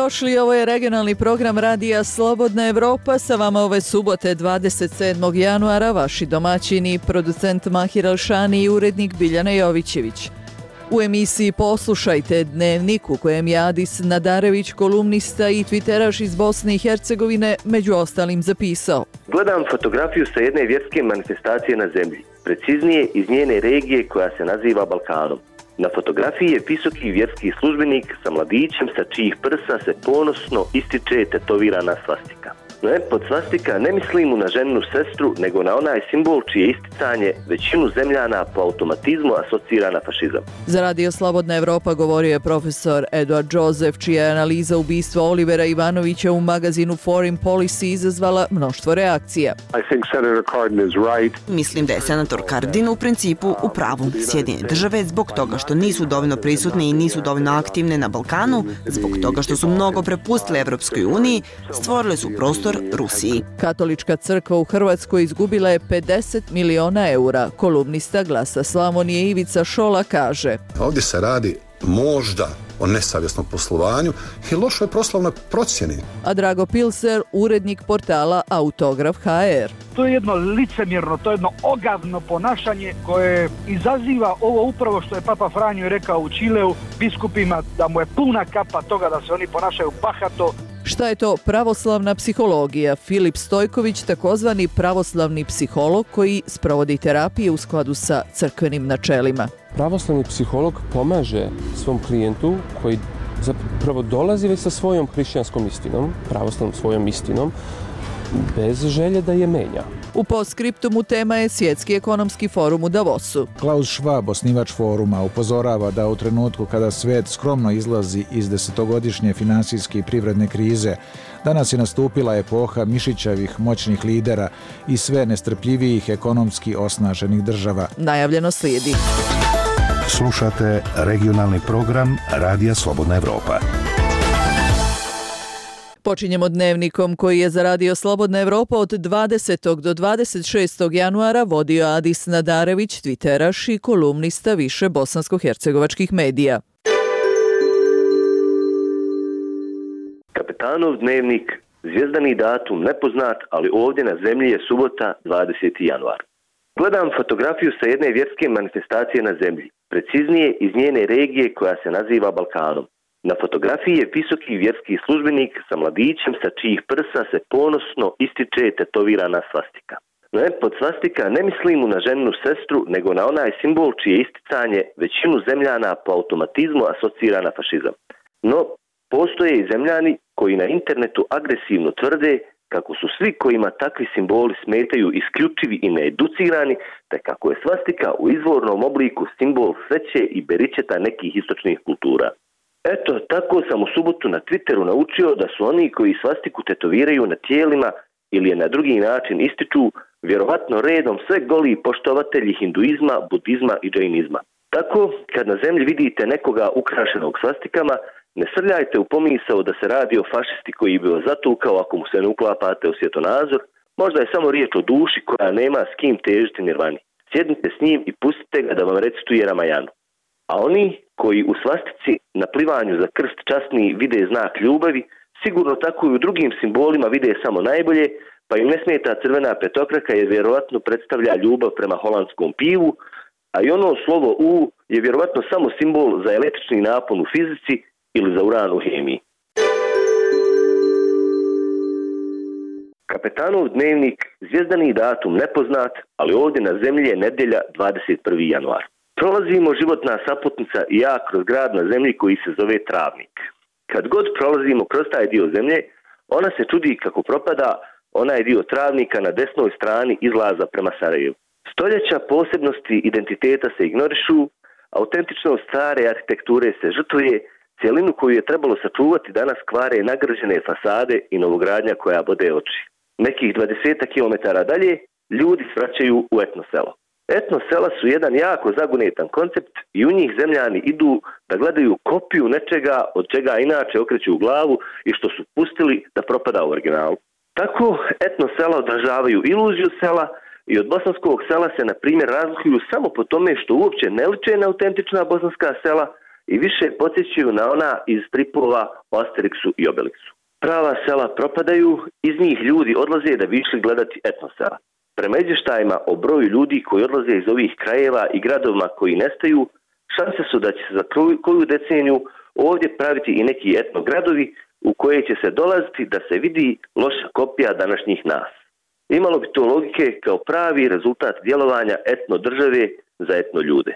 Dobrodošli, ovo je regionalni program Radija Slobodna Evropa, sa vama ove subote 27. januara, vaši domaćini, producent Mahir Alšani i urednik Biljana Jovićević. U emisiji poslušajte Dnevnik u kojem je Adis Nadarević, kolumnista i twitteraš iz Bosne i Hercegovine, među ostalim zapisao: Gledam fotografiju sa jedne vjerske manifestacije na zemlji, preciznije iz njene regije koja se naziva Balkanom. Na fotografiji je visoki vjerski službenik sa mladićem sa čijih prsa se ponosno ističe tetovirana svastika. Ne, pod svastika ne mislim na ženinu sestru, nego na onaj simbol čije isticanje većinu zemljana po automatizmu asocira na fašizam. Za Radio Slobodna Evropa govorio je profesor Eduard Joseph, čija je analiza ubistva Olivera Ivanovića u magazinu Foreign Policy izazvala mnoštvo reakcija. Mislim da je senator Cardin u principu u pravu. Sjedinjene države zbog toga što nisu dovoljno prisutne i nisu dovoljno aktivne na Balkanu, zbog toga što su mnogo prepustile Evropskoj uniji, stvorile su prostor Rusiji. Katolička crkva u Hrvatskoj izgubila je 50 miliona eura. Kolumnista Glasa Slavonije Ivica Šola kaže: Ovdje se radi možda o nesavjesnom poslovanju i lošoj poslovnoj procjeni. A Drago Pilser, urednik portala Autograf.hr: To je jedno licemjerno, to je jedno ogavno ponašanje koje izaziva ovo upravo što je Papa Franjo rekao u Čileu biskupima, da mu je puna kapa toga da se oni ponašaju bahato. Šta je to pravoslavna psihologija? Filip Stojković, takozvani pravoslavni psiholog koji sprovodi terapije u skladu sa crkvenim načelima. Pravoslavni psiholog pomaže svom klijentu koji zapravo dolazi već sa svojom hrišćanskom istinom, pravoslavnom svojom istinom, bez želje da je menja. U postskriptumu tema je Svjetski ekonomski forum u Davosu. Klaus Schwab, osnivač foruma, upozorava da u trenutku kada svijet skromno izlazi iz desetogodišnje finansijske i privredne krize, danas je nastupila epoha mišićavih moćnih lidera i sve nestrpljivijih ekonomski osnaženih država. Najavljeno slijedi. Slušate regionalni program Radija Slobodna Evropa. Počinjemo dnevnikom koji je za Radio Slobodna Evropa od 20. do 26. januara vodio Adis Nadarević, twitteraš i kolumnista više bosansko-hercegovačkih medija. Kapetanov dnevnik, zvijezdani datum nepoznat, ali ovdje na zemlji je subota 20. januar. Gledam fotografiju sa jedne vjerske manifestacije na zemlji, preciznije iz njene regije koja se naziva Balkanom. Na fotografiji je visoki vjerski službenik sa mladićem sa čijih prsa se ponosno ističe tetovirana svastika. Ne, pod svastika ne mislim na ženinu sestru, nego na onaj simbol čije isticanje većinu zemljana po automatizmu asocira na fašizam. No, postoje i zemljani koji na internetu agresivno tvrde kako su svi kojima takvi simboli smetaju isključivi i needucirani, te kako je svastika u izvornom obliku simbol sreće i beričeta nekih istočnih kultura. Eto, tako sam u subotu na Twitteru naučio da su oni koji svastiku tetoviraju na tijelima ili je na drugi način ističu vjerovatno redom sve goli poštovatelji hinduizma, budizma i džainizma. Tako, kad na zemlji vidite nekoga ukrašenog svastikama, ne srljajte u pomisao da se radi o fašisti koji bi vas zatukao ako mu se ne uklapate u svjetonazor. Možda je samo riječ o duši koja nema s kim težiti nirvani. Sjednite s njim i pustite ga da vam recituje Ramajanu. A oni koji u svastici na plivanju za krst časni vide znak ljubavi, sigurno tako i u drugim simbolima vide samo najbolje, pa im ne smeta crvena petokraka jer vjerovatno predstavlja ljubav prema holandskom pivu, a i ono slovo U je vjerovatno samo simbol za električni napon u fizici ili za uran u hemiji. Kapetanov dnevnik, zvijezdani datum nepoznat, ali ovdje na zemlji je nedjelja 21. januar. Prolazimo životna saputnica i ja kroz grad na zemlji koji se zove Travnik. Kad god prolazimo kroz taj dio zemlje, ona se čudi kako propada onaj dio Travnika na desnoj strani izlaza prema Sarajevu. Stoljeća posebnosti identiteta se ignorišu, autentičnost stare arhitekture se žrtvuje, cijelinu koju je trebalo sačuvati danas kvare nagrđene fasade i novogradnja koja bode oči. Nekih 20 kilometara dalje ljudi svraćaju u etno selo. Etno sela su jedan jako zagonetan koncept i u njih zemljani idu da gledaju kopiju nečega od čega inače okreću u glavu i što su pustili da propada u originalu. Tako etno sela odražavaju iluziju sela i od bosanskog sela se na primjer razlikuju samo po tome što uopće ne liče na autentična bosanska sela i više podsjećaju na ona iz stripova o Asterixu i Obelixu. Prava sela propadaju, iz njih ljudi odlaze da bi išli gledati etnosela. Prema izvještajima o broju ljudi koji odlaze iz ovih krajeva i gradovima koji nestaju, šanse su da će se za koju deceniju ovdje praviti i neki etnogradovi u koje će se dolaziti da se vidi loša kopija današnjih nas. Imalo bi to logike kao pravi rezultat djelovanja etno države za etno ljude.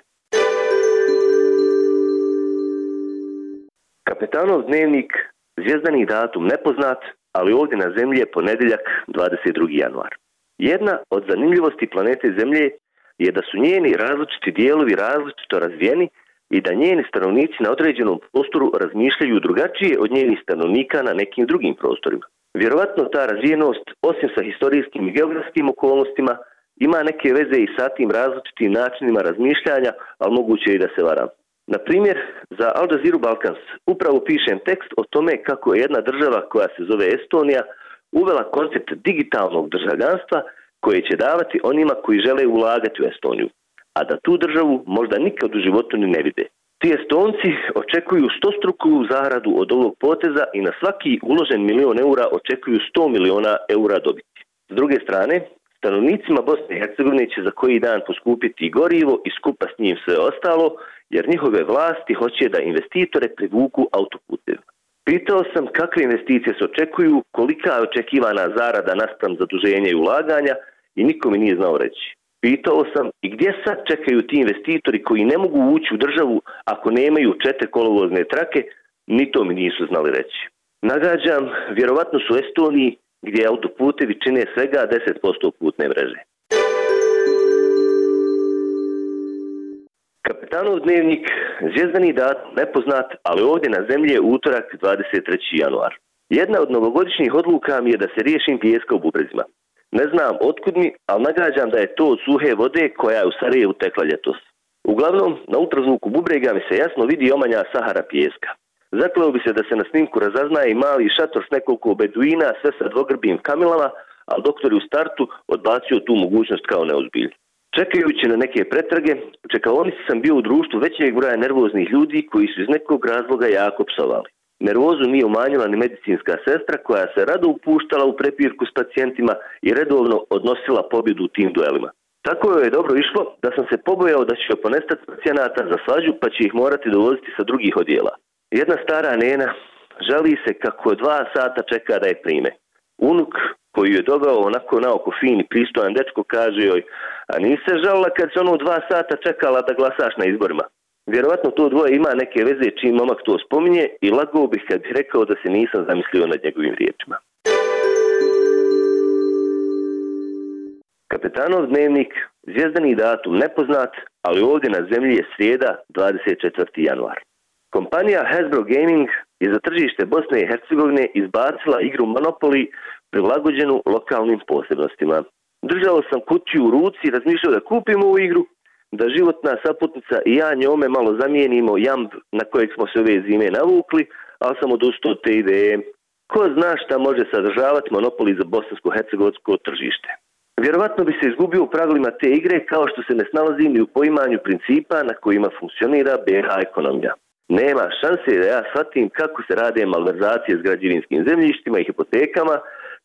Kapetanov dnevnik, zvijezdani datum nepoznat, ali ovdje na zemlji je ponedjeljak 22. januar. Jedna od zanimljivosti planete Zemlje je da su njeni različiti dijelovi različito razvijeni i da njeni stanovnici na određenom prostoru razmišljaju drugačije od njenih stanovnika na nekim drugim prostorima. Vjerovatno ta razvijenost, osim sa historijskim i geografskim okolnostima, ima neke veze i sa tim različitim načinima razmišljanja, ali moguće i da se varam. Na primjer, za Al Jazeera Balkans upravo pišem tekst o tome kako je jedna država koja se zove Estonija uvela koncept digitalnog državljanstva koje će davati onima koji žele ulagati u Estoniju, a da tu državu možda nikad u životu ni ne vide. Ti Estonci očekuju 100-struku zaradu od ovog poteza i na svaki uložen €1.000.000 očekuju 100 miliona eura dobiti. S druge strane, stanovnicima Bosne i Hercegovine će za koji dan poskupiti i gorivo i skupa s njim sve ostalo, jer njihove vlasti hoće da investitore privuku autoputevima. Pitao sam kakve investicije se očekuju, kolika je očekivana zarada naspram zaduženja i ulaganja i niko mi nije znao reći. Pitao sam i gdje sad čekaju ti investitori koji ne mogu ući u državu ako nemaju 4 kolovozne trake, ni to mi nisu znali reći. Nagađam, vjerovatno su Estoniji gdje autoputevi čine svega 10% putne mreže. Kapetanov dnevnik, zvijezdani datum nepoznat, ali ovdje na zemlji je utorak 23. januar. Jedna od novogodišnjih odluka mi je da se riješim pijeska u bubrezima. Ne znam otkud mi, ali nagađam da je to od suhe vode koja je u Sarajevu tekla ljetos. Uglavnom, na ultrazvuku bubrega mi se jasno vidi omanja Sahara pijeska. Zakleo bi se da se na snimku razaznaje i mali šator s nekoliko beduina, sve sa dvogrbim kamilama, ali doktor je u startu odbacio tu mogućnost kao neozbiljnu. Čekajući na neke pretrage, u čekaonici sam bio u društvu većeg broja nervoznih ljudi koji su iz nekog razloga jako psovali. Nervozu nije umanjila ni medicinska sestra koja se rado upuštala u prepirku s pacijentima i redovno odnosila pobjedu u tim duelima. Tako joj je dobro išlo da sam se pobojao da će ponestati pacijenata za svađu pa će ih morati dovoziti sa drugih odjela. Jedna stara nena žali se kako 2 sata čeka da je prime. Unuk koji je doveo onako naoko fin i pristojan dečko kaže joj, a nisi se žalila kad se 2 sata čekala da glasaš na izborima. Vjerovatno to dvoje ima neke veze čim momak to spominje i lagao bih kad bih rekao da se nisam zamislio nad njegovim riječima. Kapetanov dnevnik, zvijezdani datum nepoznat, ali ovdje na zemlji je srijeda 24. januar. Kompanija Hasbro Gaming je za tržište Bosne i Hercegovine izbacila igru Monopoly prilagođenu lokalnim posebnostima. Držao sam kutiju u ruci i razmišljao da kupim ovu igru, da životna saputnica i ja njome malo zamijenimo jamb na kojeg smo se ove zime navukli, ali sam odustao od te ideje. Ko zna šta može sadržavati Monopoly za bosansko-hercegovačko tržište. Vjerovatno bi se izgubio u pravilima te igre kao što se ne snalazi ni u poimanju principa na kojima funkcionira BiH ekonomija. Nema šanse da ja shvatim kako se rade malverzacije s građevinskim zemljištima i hipotekama,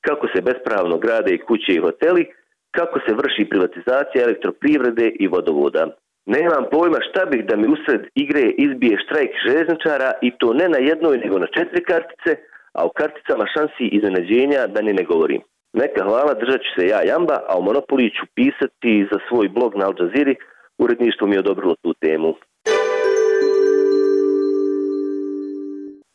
kako se bespravno grade i kuće i hoteli, kako se vrši privatizacija elektroprivrede i vodovoda. Nemam pojma šta bih da mi usred igre izbije štrajk željezničara i to ne na jednoj nego na 4 kartice, a u karticama šansi iznenađenja da ni ne govorim. Neka hvala, držat ću se ja jamba, a u Monopoly ću pisati za svoj blog na Al Jazeera. Uredništvo mi je odobrilo tu temu.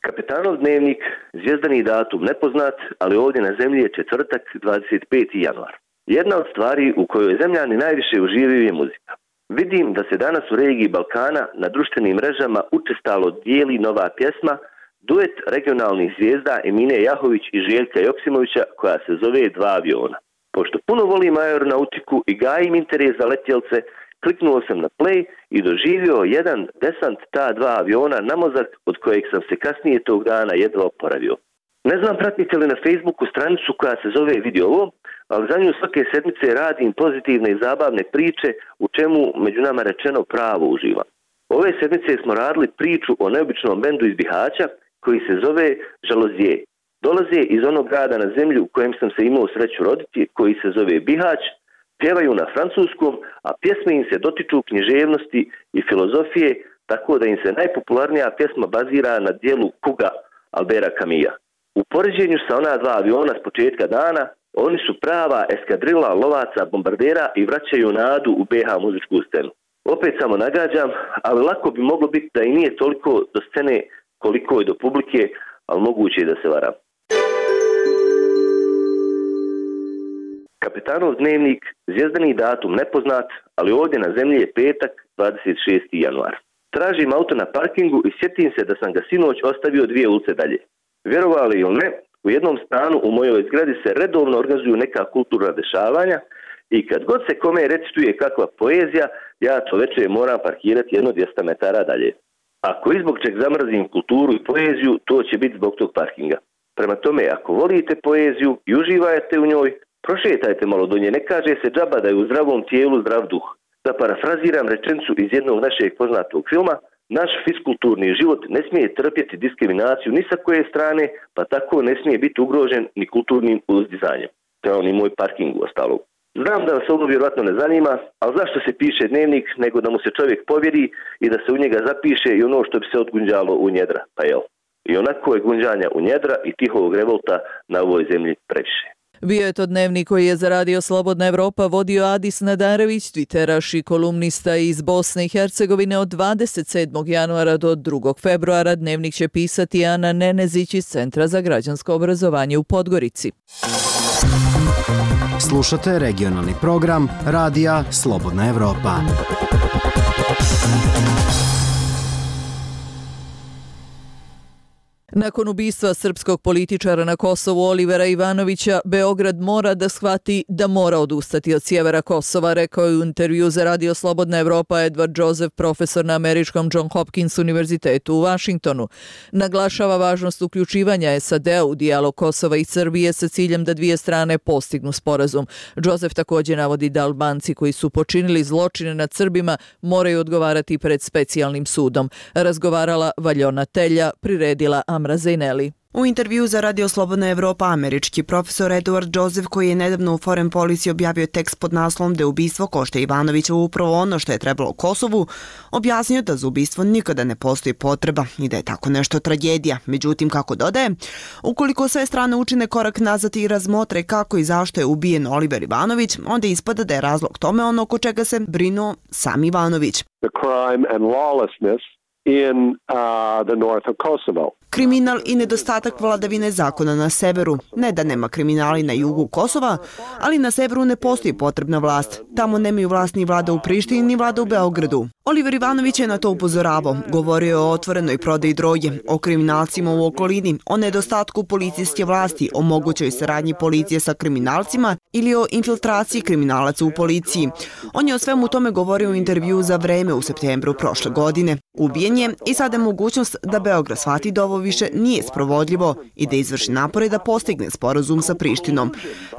Kapetanov dnevnik, zvijezdani datum nepoznat, ali ovdje na zemlji je četvrtak 25. januar. Jedna od stvari u kojoj zemljani najviše uživaju je muzika. Vidim da se danas u regiji Balkana na društvenim mrežama učestalo dijeli nova pjesma, duet regionalnih zvijezda Emine Jahović i Željka Joksimovića koja se zove 2 aviona. Pošto puno volim aeronautiku i gajim interes za letjelce, kliknuo sam na play i doživio jedan desant ta 2 aviona na mozak od kojeg sam se kasnije tog dana jedva oporavio. Ne znam pratite li na Facebooku stranicu koja se zove Vidi ovo, ali za nju svake sedmice radim pozitivne i zabavne priče u čemu među nama rečeno pravo uživam. Ove sedmice smo radili priču o neobičnom bendu iz Bihaća koji se zove Žalozije. Dolaze iz onog grada na zemlji u kojem sam se imao sreću roditi, koji se zove Bihać, pjevaju na francuskom, a pjesme im se dotiču književnosti i filozofije, tako da im se najpopularnija pjesma bazira na dijelu Kuga Albera Camusa. U poređenju sa ona dva aviona s početka dana, oni su prava eskadrila lovaca, bombardera i vraćaju nadu u BH muzičku scenu. Opet samo nagađam, ali lako bi moglo biti da i nije toliko do scene koliko je do publike, ali moguće je da se varam. Kapetanov dnevnik, zvijezdani datum nepoznat, ali ovdje na zemlji je petak, 26. januar. Tražim auto na parkingu i sjetim se da sam ga sinoć ostavio 2 ulice dalje. Vjerovali ili ne, u jednom stanu u mojoj zgradi se redovno organizuju neka kulturna dešavanja i kad god se kome recituje kakva poezija, ja to večer moram parkirati 100-200 metara dalje. Ako izbog čeg zamrzim kulturu i poeziju, to će biti zbog tog parkinga. Prema tome, ako volite poeziju i uživajte u njoj, prošetajte malo do nje, ne kaže se džaba da je u zdravom tijelu zdrav duh. Da parafraziram rečenicu iz jednog našeg poznatog filma, naš fiskulturni život ne smije trpjeti diskriminaciju ni sa koje strane, pa tako ne smije biti ugrožen ni kulturnim uzdizanjem. To je on i moj parking u ostalog. Znam da vas ovo vjerojatno ne zanima, ali zašto se piše dnevnik nego da mu se čovjek povjeri i da se u njega zapiše i ono što bi se odgunđalo u njedra, pa jel? I onako je gunđanja u njedra i tihovog revolta na ovoj zemlji previše. Bio je to dnevnik koji je za Radio Slobodna Evropa vodio Adis Nadarević, twitteraš i kolumnista iz Bosne i Hercegovine. Od 27. januara do 2. februara dnevnik će pisati Ana Nenezić iz Centra za građansko obrazovanje u Podgorici. Slušate regionalni program Radija Slobodna Evropa. Nakon ubistva srpskog političara na Kosovu Olivera Ivanovića, Beograd mora da shvati da mora odustati od sjevera Kosova, rekao je u intervju za Radio Slobodna Evropa Edward Joseph, profesor na američkom John Hopkins univerzitetu u Vašingtonu. Naglašava važnost uključivanja SAD-a u dijalog Kosova i Srbije sa ciljem da dvije strane postignu sporazum. Joseph također navodi da Albanci koji su počinili zločine nad Srbima moraju odgovarati pred specijalnim sudom. Razgovarala Valjona Telja, priredila Amra Zejneli. U intervju za Radio Slobodna Evropa američki profesor Edward Joseph, koji je nedavno u Foreign Policy objavio tekst pod naslovom da je ubistvo Košte Ivanovića upravo ono što je trebalo Kosovu, objasnio da za ubistvo nikada ne postoji potreba i da je tako nešto tragedija. Međutim, kako dodaje, ukoliko sve strane učine korak nazad i razmotre kako i zašto je ubijen Oliver Ivanović, onda ispada da je razlog tome ono oko čega se brinuo sam Ivanović. The crime and lawlessness in the north of Kosovo. Kriminal i nedostatak vladavine zakona na severu. Ne da nema kriminali na jugu Kosova, ali na severu ne postoji potrebna vlast. Tamo nemaju vlast ni vlada u Prištini, ni vlada u Beogradu. Oliver Ivanović je na to upozoravao. Govorio je o otvorenoj prodaji droge, o kriminalcima u okolini, o nedostatku policijske vlasti, o mogućoj saradnji policije sa kriminalcima ili o infiltraciji kriminalaca u policiji. On je o svemu tome govorio u intervju za Vreme u septembru prošle godine. Ubijen je i sada je mogućnost da Beograd shvati da ovo više nije sprovodljivo i da izvrši napore da postigne sporazum sa Prištinom.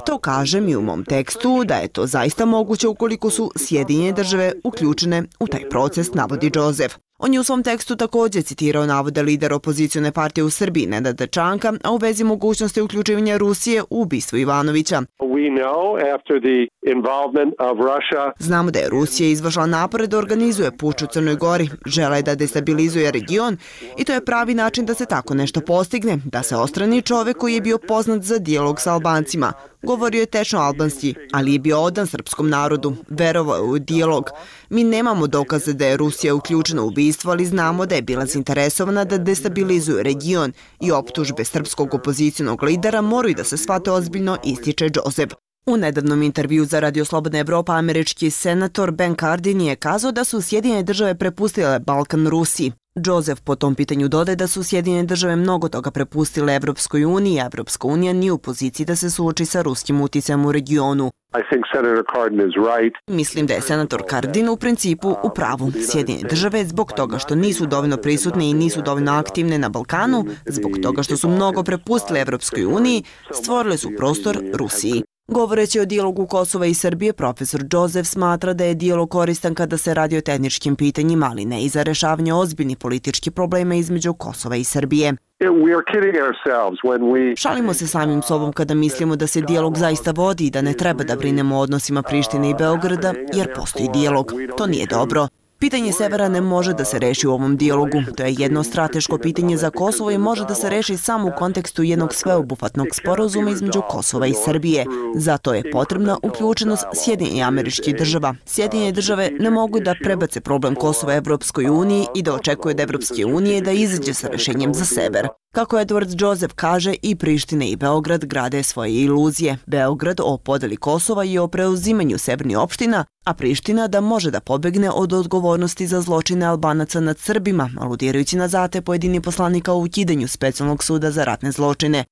To kažem i u mom tekstu da je to zaista moguće ukoliko su Sjedinjene države uključene u taj proces, navodi Joseph. On je u svom tekstu također citirao navode lidera opozicione partije u Srbiji Nenada Čanka, a u vezi mogućnosti uključivanja Rusije u ubistvo Ivanovića. Znamo da je Rusija izvršila napore da organizuje puč u Crnoj Gori, žele da destabilizuje region i to je pravi način da se tako nešto postigne, da se odstrani čovek koji je bio poznat za dijalog sa Albancima. Govorio je tečno albanski, ali je bio odan srpskom narodu, verovao je u dijalog. Mi nemamo dokaze da je Rusija uključena u ubistvo, ali znamo da je bila zainteresovana da destabilizuje region i optužbe srpskog opozicijonog lidera moraju da se shvate ozbiljno, ističe Joseph. U nedavnom intervju za Radio Slobodna Evropa američki senator Ben Cardin je kazao da su Sjedinjene države prepustile Balkan Rusiji. Joseph po tom pitanju dodaje da su Sjedinjene države mnogo toga prepustile Evropskoj uniji, a Evropska unija nije u poziciji da se suoči sa ruskim uticajem u regionu. Mislim da je senator Cardin u principu u pravu. Sjedinjene države zbog toga što nisu dovoljno prisutne i nisu dovoljno aktivne na Balkanu, zbog toga što su mnogo prepustile Evropskoj uniji, stvorile su prostor Rusiji. Govoreći o dijalogu Kosova i Srbije, profesor Joseph smatra da je dijalog koristan kada se radi o tehničkim pitanjima, ali ne i za rešavanje ozbiljnih političkih problema između Kosova i Srbije. Šalimo se samim sobom kada mislimo da se dijalog zaista vodi i da ne treba da brinemo o odnosima Prištine i Beograda, jer postoji dijalog. To nije dobro. Pitanje severa ne može da se reši u ovom dijalogu. To je jedno strateško pitanje za Kosovo i može da se reši samo u kontekstu jednog sveobuhvatnog sporazuma između Kosova i Srbije. Zato je potrebna uključenost Sjedinjenih Američkih Država. Sjedinjene države ne mogu da prebace problem Kosova Evropskoj uniji i da očekuje od Evropske unije da izađe sa rešenjem za sever. Kako Edward Joseph kaže, i Priština i Beograd grade svoje iluzije. Beograd o podeli Kosova i o preuzimanju severnih opština, a Priština da može da pobegne od odgovornosti za zločine Albanaca nad Srbima, aludirajući na zate pojedinih poslanika u ukidanju specijalnog suda za ratne zločine.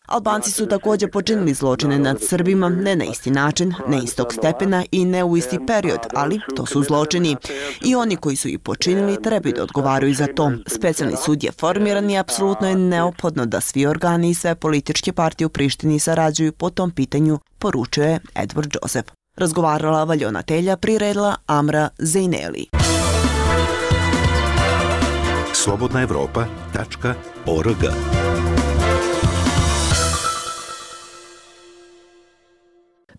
Albanci su također počinili zločine nad Srbima, ne na isti način, ne istog stepena i ne u isti period, ali to su zločini. I oni koji su ih počinili trebaju da odgovaraju za to. Specijalni sud je formiran i apsolutno je neophodno da svi organi i sve političke partije u Prištini sarađuju po tom pitanju, poručuje Edward Joseph. Razgovarala Valjona Telja, priredila Amra Zejneli. slobodnaevropa.org.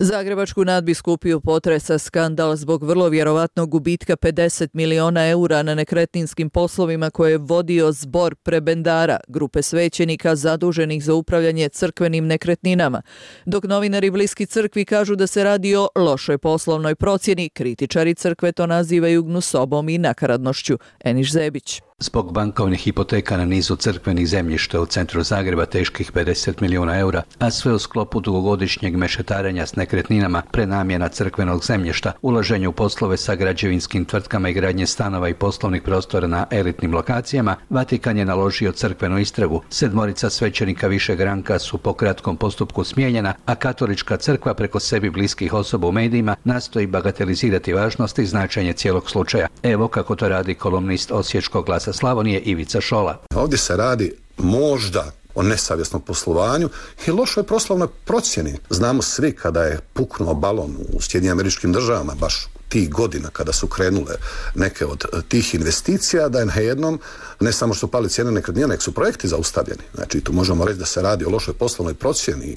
Zagrebačku nadbiskupiju potresa skandal zbog vrlo vjerovatnog gubitka 50 miliona eura na nekretninskim poslovima koje je vodio zbor prebendara, grupe svećenika zaduženih za upravljanje crkvenim nekretninama. Dok novinari bliski crkvi kažu da se radi o lošoj poslovnoj procjeni, kritičari crkve to nazivaju gnusobom i nakaradnošću. Eniš Zebić. Zbog bankovnih hipoteka na nizu crkvenih zemljišta u centru Zagreba teških 50 milijuna eura, a sve u sklopu dugogodišnjeg mešetarenja s nekretninama, prenamjena crkvenog zemljišta, ulaženje u poslove sa građevinskim tvrtkama i gradnje stanova i poslovnih prostora na elitnim lokacijama, Vatikan je naložio crkvenu istragu. 7 svećenika višeg ranka su po kratkom postupku smijenjena, a katolička crkva preko sebi bliskih osoba u medijima nastoji bagatelizirati važnost i značenje cijelog slučaja. Evo kako to radi kolumnist Osječkog Glasa Slavonije Ivica Šola. Ovdje se radi možda o nesavjesnom poslovanju i lošoj poslovnoj procjeni. Znamo svi kada je puknuo balon u Sjedinjenim Američkim Državama, baš tih godina kada su krenule neke od tih investicija, da je najednom ne samo što pali cijene nekretnina, nek su projekti zaustavljeni. Znači tu možemo reći da se radi o lošoj poslovnoj procjeni.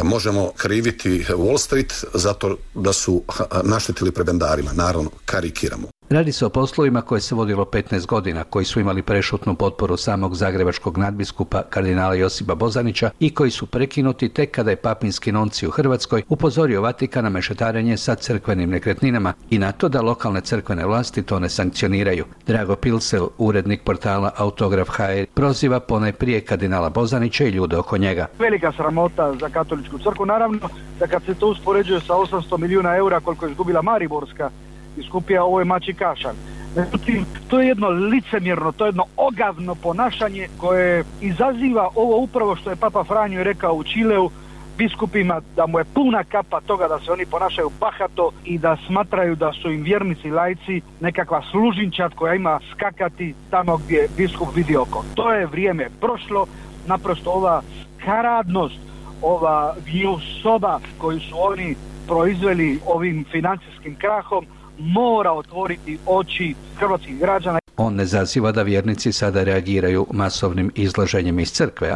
Možemo kriviti Wall Street zato da su naštetili prebendarima. Naravno, karikiramo. Radi se o poslovima koje se vodilo 15 godina, koji su imali prešutnu potporu samog zagrebačkog nadbiskupa kardinala Josipa Bozanića i koji su prekinuti tek kada je papinski nunci u Hrvatskoj upozorio Vatikan na mešetarenje sa crkvenim nekretninama i na to da lokalne crkvene vlasti to ne sankcioniraju. Drago Pilsel, urednik portala Autograf.hr, proziva ponajprije kardinala Bozanića i ljude oko njega. Velika sramota za katoličku crkvu, naravno da kad se to uspoređuje sa 800 milijuna eura koliko je izgubila Mariborska biskupija, ovo je mači kašalj. Međutim, to je jedno licemjerno, to je jedno ogavno ponašanje koje izaziva ovo upravo što je Papa Franjo rekao u Čileu biskupima, da mu je puna kapa toga da se oni ponašaju bahato i da smatraju da su im vjernici laici nekakva služinčad koja ima skakati tamo gdje biskup vidi oko. To je vrijeme prošlo, naprosto ova karadnost, ova gnusoba koju su oni proizveli ovim financijskim krahom mora otvoriti oči hrvatskih građana. On ne zaziva da vjernici sada reagiraju masovnim izlaženjem iz crkve,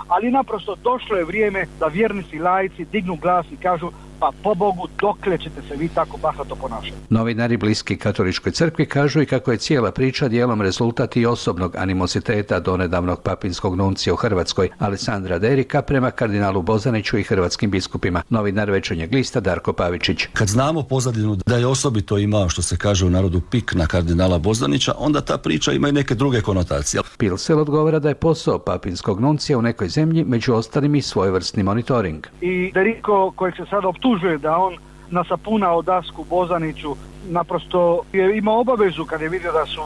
ali naprosto došlo je vrijeme da vjernici laici dignu glas i kažu pa po Bogu, dokle ćete se vi tako bahato ponašati? Novinari bliski katoličkoj crkvi kažu i kako je cijela priča dijelom rezultat i osobnog animoziteta donedavnog papinskog nuncija u Hrvatskoj, Alessandra Derika, prema kardinalu Bozaniću i hrvatskim biskupima. Novinar Večernjeg lista Darko Pavičić. Kad znamo pozadinu da je osobito imao, što se kaže u narodu, pik na kardinala Bozanića, onda ta priča ima i neke druge konotacije. Pilsel odgovara da je posao papinskog nuncija u nekoj zemlji među ostalim i svojevrsni monitoring. I Deriko, kojeg se sada optužuje da on nasapunao dasku Bozaniću, naprosto je imao obavezu kad je vidio da su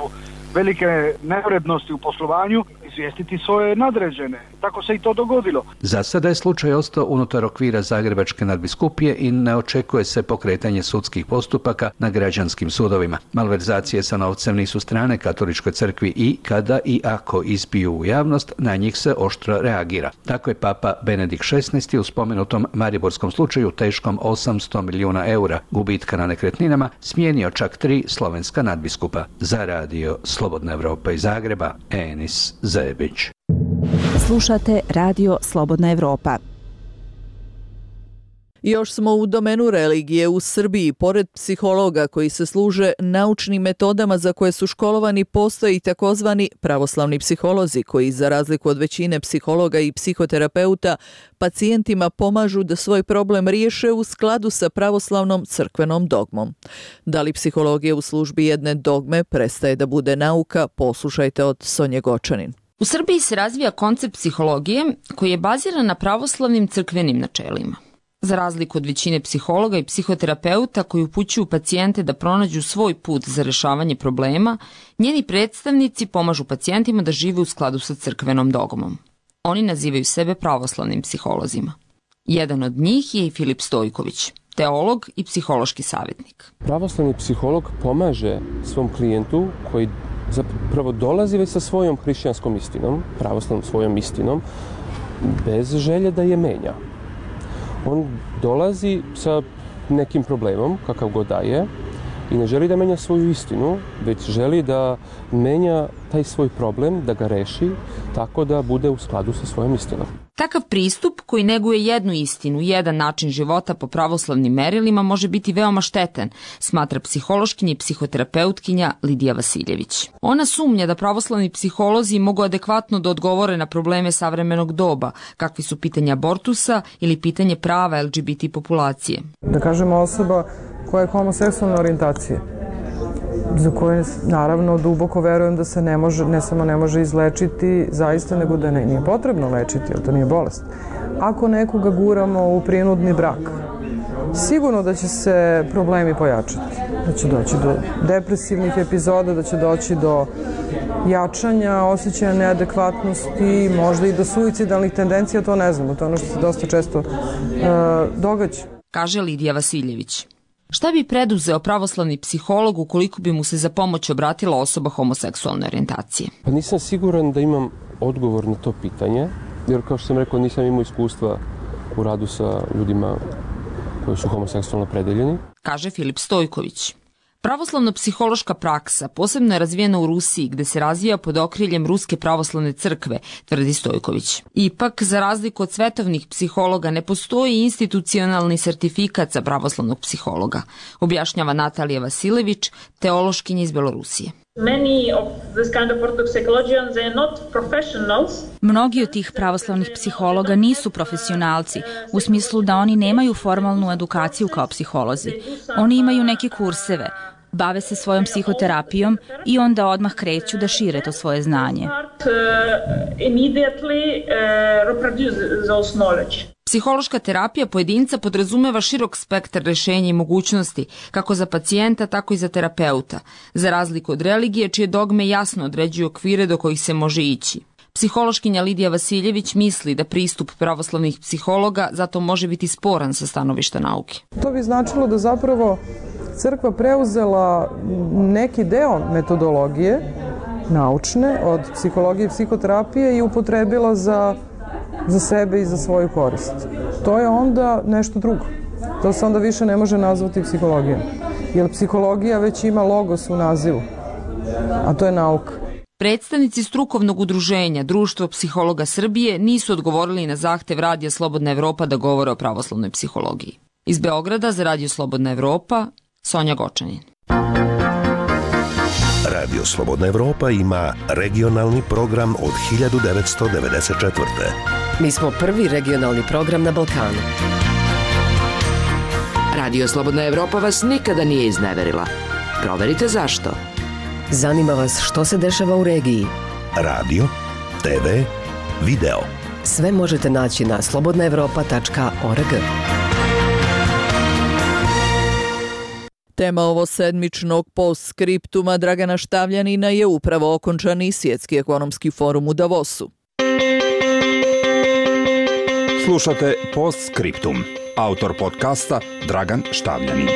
velike neurednosti u poslovanju i izvijestiti svoje nadređene. Tako se i to dogodilo. Za sada je slučaj ostao unutar okvira Zagrebačke nadbiskupije i ne očekuje se pokretanje sudskih postupaka na građanskim sudovima. Malverzacije sa novcem nisu strane katoličkoj crkvi i kada i ako ispiju u javnost, na njih se oštro reagira. Tako je Papa Benedikt XVI u spomenutom mariborskom slučaju teškom 800 milijuna eura gubitka na nekretninama smijenio čak 3 slovenska nadbiskupa. Za radio Slobodna Evropa iz Zagreba, Enis Zebić. Slušate Radio Slobodna Evropa. Još smo u domenu religije. U Srbiji, pored psihologa koji se služe naučnim metodama za koje su školovani, postoje i takozvani pravoslavni psiholozi koji, za razliku od većine psihologa i psihoterapeuta, pacijentima pomažu da svoj problem riješe u skladu sa pravoslavnom crkvenom dogmom. Da li psihologija u službi jedne dogme prestaje da bude nauka? Poslušajte od Sonje Gočanin. U Srbiji se razvija koncept psihologije koji je baziran na pravoslavnim crkvenim načelima. Za razliku od većine psihologa i psihoterapeuta koji upućuju pacijente da pronađu svoj put za rješavanje problema, njeni predstavnici pomažu pacijentima da žive u skladu sa crkvenom dogmom. Oni nazivaju sebe pravoslavnim psiholozima. Jedan od njih je i Filip Stojković, teolog i psihološki savjetnik. Pravoslavni psiholog pomaže svom klijentu koji zapravo dolazi već sa svojom hrišćanskom istinom, pravoslavnom svojom istinom, bez želje da je menja. On dolazi sa nekim problemom, kakav god da je, i ne želi da menja svoju istinu, već želi da menja taj svoj problem, da ga reši tako da bude u skladu sa svojom istinom. Takav pristup koji neguje jednu istinu, jedan način života po pravoslavnim merilima može biti veoma štetan, smatra psihološkinja i psihoterapeutkinja Lidija Vasiljević. Ona sumnja da pravoslavni psiholozi mogu adekvatno da odgovore na probleme savremenog doba, kakvi su pitanja abortusa ili pitanje prava LGBT populacije. Da kažemo osoba koja je homoseksualne orijentacije, za koje naravno duboko verujem da se ne samo ne može izlečiti zaista, nego da nije potrebno lečiti, jer to nije bolest. Ako nekoga guramo u prinudni brak, sigurno da će se problemi pojačati. Da će doći do depresivnih epizoda, da će doći do jačanja osjećaja neadekvatnosti, možda i do suicidalnih tendencija, to ne znamo, to je ono što se dosta često događa. Kaže Lidija Vasiljević. Šta bi preduzeo pravoslavni psiholog ukoliko bi mu se za pomoć obratila osoba homoseksualne orijentacije? Pa nisam siguran da imam odgovor na to pitanje, jer kao što sam rekao nisam imao iskustva u radu sa ljudima koji su homoseksualno opredeljeni. Kaže Filip Stojković. Pravoslavno-psihološka praksa posebno je razvijena u Rusiji, gde se razvija pod okriljem Ruske pravoslavne crkve, tvrdi Stojković. Ipak, za razliku od svetovnih psihologa, ne postoji institucionalni sertifikat za pravoslavnog psihologa, objašnjava Natalija Vasilević, teološkinja iz Belorusije. Mnogi od tih pravoslavnih psihologa nisu profesionalci, u smislu da oni nemaju formalnu edukaciju kao psiholozi. Oni imaju neke kurseve, bave se svojom psihoterapijom i onda odmah kreću da šire to svoje znanje. Psihološka terapija pojedinca podrazumeva širok spektar rješenja i mogućnosti, kako za pacijenta, tako i za terapeuta, za razliku od religije, čije dogme jasno određuju okvire do kojih se može ići. Psihološkinja Lidija Vasiljević misli da pristup pravoslavnih psihologa zato može biti sporan sa stanovišta nauke. To bi značilo da zapravo crkva preuzela neki deo metodologije naučne od psihologije i psihoterapije i upotrebila za sebe i za svoju korist. To je onda nešto drugo. To se onda više ne može nazvati psihologijom. Jer psihologija već ima logos u nazivu, a to je nauka. Predstavnici strukovnog udruženja Društvo psihologa Srbije nisu odgovorili na zahtev Radija Slobodna Evropa da govore o pravoslavnoj psihologiji. Iz Beograda za Radio Slobodna Evropa, Sonja Gočanin. Radio Slobodna Evropa ima regionalni program od 1994. Mi smo prvi regionalni program na Balkanu. Radio Slobodna Evropa vas nikada nije izneverila. Proverite zašto. Zanima vas što se dešava u regiji. Radio, TV, video. Sve možete naći na slobodnaevropa.org. Tema ovo sedmičnog postskriptuma Dragana Štavljanina je upravo okončani Svjetski ekonomski forum u Davosu. Slušate Postskriptum. Autor podcasta Dragan Štavljanin.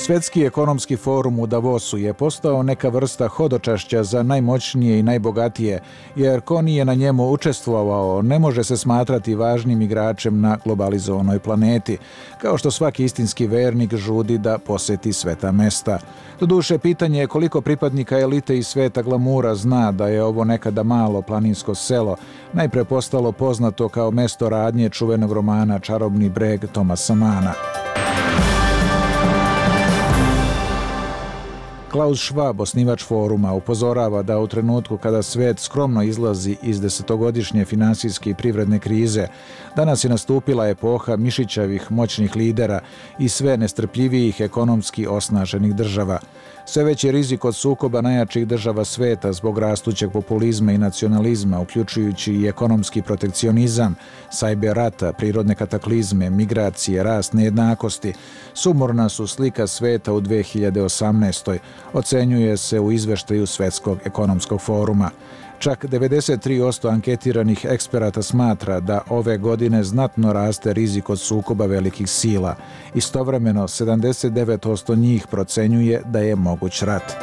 Svjetski ekonomski forum u Davosu je postao neka vrsta hodočašća za najmoćnije i najbogatije, jer ko nije na njemu učestvovao ne može se smatrati važnim igračem na globalizovanoj planeti, kao što svaki istinski vernik žudi da posjeti sveta mesta. Doduše, pitanje je koliko pripadnika elite i sveta glamura zna da je ovo nekada malo planinsko selo, najpre postalo poznato kao mesto radnje čuvenog romana Čarobni breg Thomasa Manna. Klaus Schwab, osnivač foruma, upozorava da u trenutku kada svet skromno izlazi iz desetogodišnje finansijske i privredne krize, danas je nastupila epoha mišićavih moćnih lidera i sve nestrpljivijih ekonomski osnaženih država. Sve veći rizik od sukoba najjačih država sveta zbog rastućeg populizma i nacionalizma, uključujući i ekonomski protekcionizam, sajber rata, prirodne kataklizme, migracije, rast nejednakosti, sumorna su slika sveta u 2018. Ocenjuje se u izveštaju Svjetskog ekonomskog foruma. Čak 93% anketiranih eksperata smatra da ove godine znatno raste rizik od sukoba velikih sila. Istovremeno, 79% njih procenjuje da je moguć rat.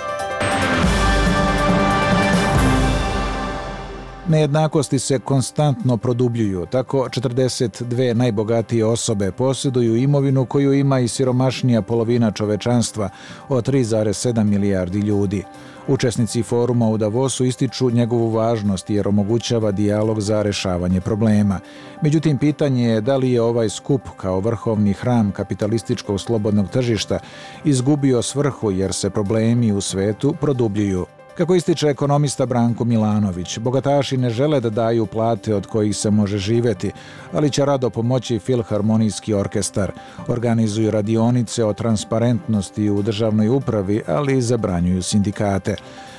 Nejednakosti se konstantno produbljuju, tako 42 najbogatije osobe posjeduju imovinu koju ima i siromašnija polovina čovečanstva od 3,7 milijardi ljudi. Učesnici foruma u Davosu ističu njegovu važnost jer omogućava dijalog za rješavanje problema. Međutim, pitanje je da li je ovaj skup kao vrhovni hram kapitalističkog slobodnog tržišta izgubio svrhu jer se problemi u svetu produbljuju. Kako ističe ekonomista Branko Milanović, bogataši ne žele da daju plate od kojih se može živjeti, ali će rado pomoći Filharmonijski orkestar. Organizuju radionice o transparentnosti u državnoj upravi, ali i zabranjuju sindikate.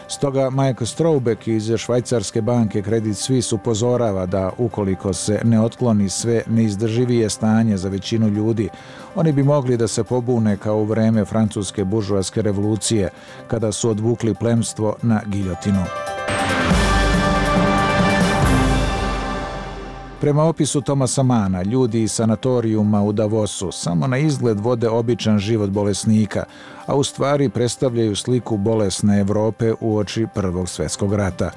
Stoga Mike Strobeck iz švajcarske banke Credit Suisse upozorava da ukoliko se ne otkloni sve neizdrživije stanje za većinu ljudi, oni bi mogli da se pobune kao u vreme francuske buržoaske revolucije, kada su odvukli plemstvo na giljotinu. Prema opisu Thomasa Manna, ljudi iz sanatorijuma u Davosu samo na izgled vode običan život bolesnika, a u stvari predstavljaju sliku bolesne Evrope uoči Prvog svjetskog rata.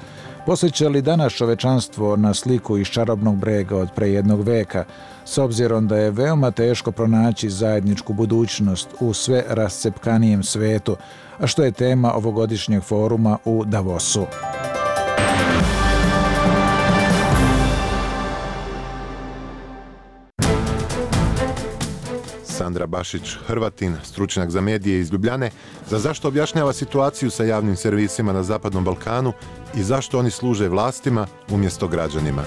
Posjeća li danas čovečanstvo na sliku iz Čarobnog brega od pre jednog veka, s obzirom da je veoma teško pronaći zajedničku budućnost u sve rascepkanijem svetu, a što je tema ovogodišnjeg foruma u Davosu. Sandra Bašić, Hrvatin, stručnjak za medije iz Ljubljane, za zašto objašnjava situaciju sa javnim servisima na Zapadnom Balkanu i zašto oni služe vlastima umjesto građanima.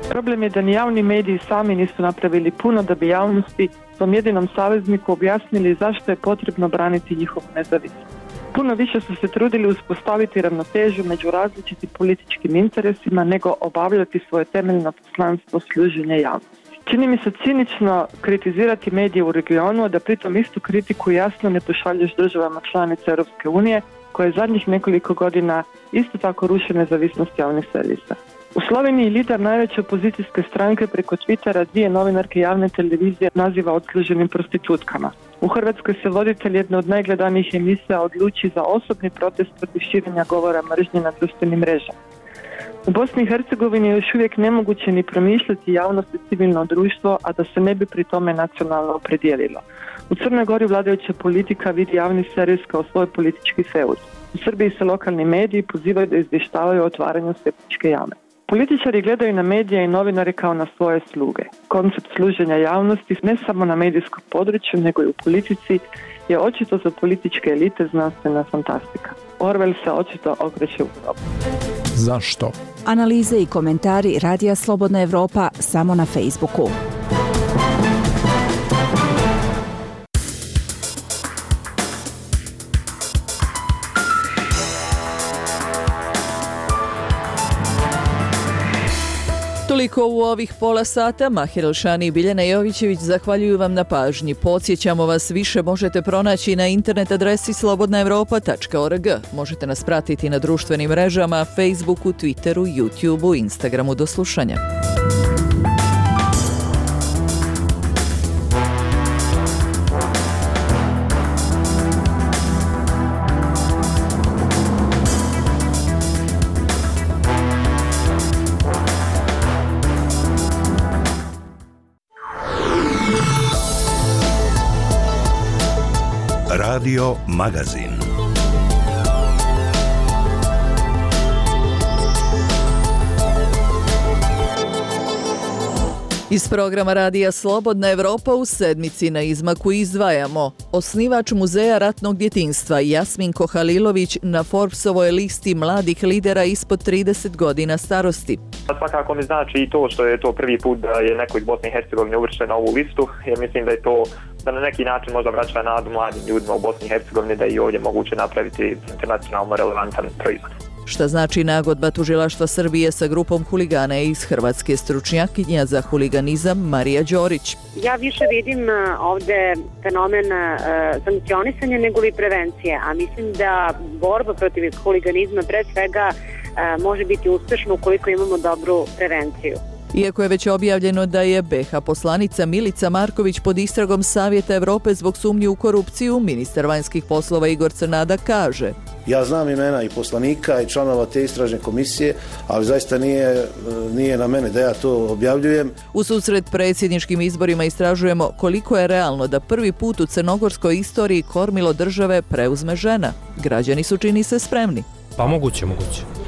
Problem je da ni javni mediji sami nisu napravili puno da bi javnosti, svom jedinom savezniku, objasnili zašto je potrebno braniti njihovu nezavisnost. Puno više su se trudili uspostaviti ravnotežu među različitim političkim interesima nego obavljati svoje temeljno poslanstvo služenja javnosti. Čini mi se cinično kritizirati medije u regionu, a da pritom istu kritiku jasno ne pošalješ državama članica Europske unije, koje zadnjih nekoliko godina isto tako ruše nezavisnost javnih servisa. U Sloveniji lider najveće opozicijske stranke preko Twittera 2 novinarke javne televizije naziva odsluženim prostitutkama. U Hrvatskoj se voditelj jedne od najgledanijih emisija odluči za osobni protest protiv širenja govora mržnje na društvenim mrežama. U Bosni i Hercegovini je još uvijek nemoguće ni promišljati javnost i civilno društvo, a da se ne bi pri tome nacionalno opredijelilo. U Crnoj Gori vladajuća politika vidi javni servis kao svoj politički feud. U Srbiji se lokalni mediji pozivaju da izvještavaju o otvaranju septičke jame. Političari gledaju na medije i novinare kao na svoje sluge. Koncept služenja javnosti ne samo na medijskom području, nego i u politici je očito za političke elite znanstvena fantastika. Orwell se očito okreće u grobu. Zašto? Analize i komentari Radija Slobodna Evropa samo na Facebooku. Toliko u ovih pola sata. Mahir Elšani i Biljana Jovićević zahvaljuju vam na pažnji. Podsjećamo vas, više možete pronaći na internet adresi slobodnaevropa.org. Možete nas pratiti na društvenim mrežama, Facebooku, Twitteru, YouTubeu, Instagramu. Do slušanja. Radio Magazin. Iz programa Radija Slobodna Evropa u sedmici na izmaku izdvajamo: osnivač Muzeja ratnog djetinjstva Jasminko Halilović na Forbesovoj listi mladih lidera ispod 30 godina starosti. Svakako mi znači i to što je to prvi put da je neko iz Bosne i Hercegovine uvršten na ovu listu, jer mislim da je to da na neki način možda vraća nadu mladim ljudima u Bosni i Hercegovini da je i ovdje moguće napraviti internacionalno relevantan proizvod. Šta znači nagodba tužilaštva Srbije sa grupom huligana iz Hrvatske? Stručnjakinja za huliganizam Marija Đorić. Ja više vidim ovdje fenomen sankcionisanja nego li prevencije, a mislim da borba protiv huliganizma pre svega može biti uspješna ukoliko imamo dobru prevenciju. Iako je već objavljeno da je BiH poslanica Milica Marković pod istragom Savjeta Evrope zbog sumnji u korupciju, ministar vanjskih poslova Igor Crnada kaže: ja znam imena i poslanika i članova te istražne komisije, ali zaista nije na mene da ja to objavljujem. U susret predsjedničkim izborima istražujemo koliko je realno da prvi put u crnogorskoj istoriji kormilo države preuzme žena. Građani su, čini se, spremni. Pa moguće.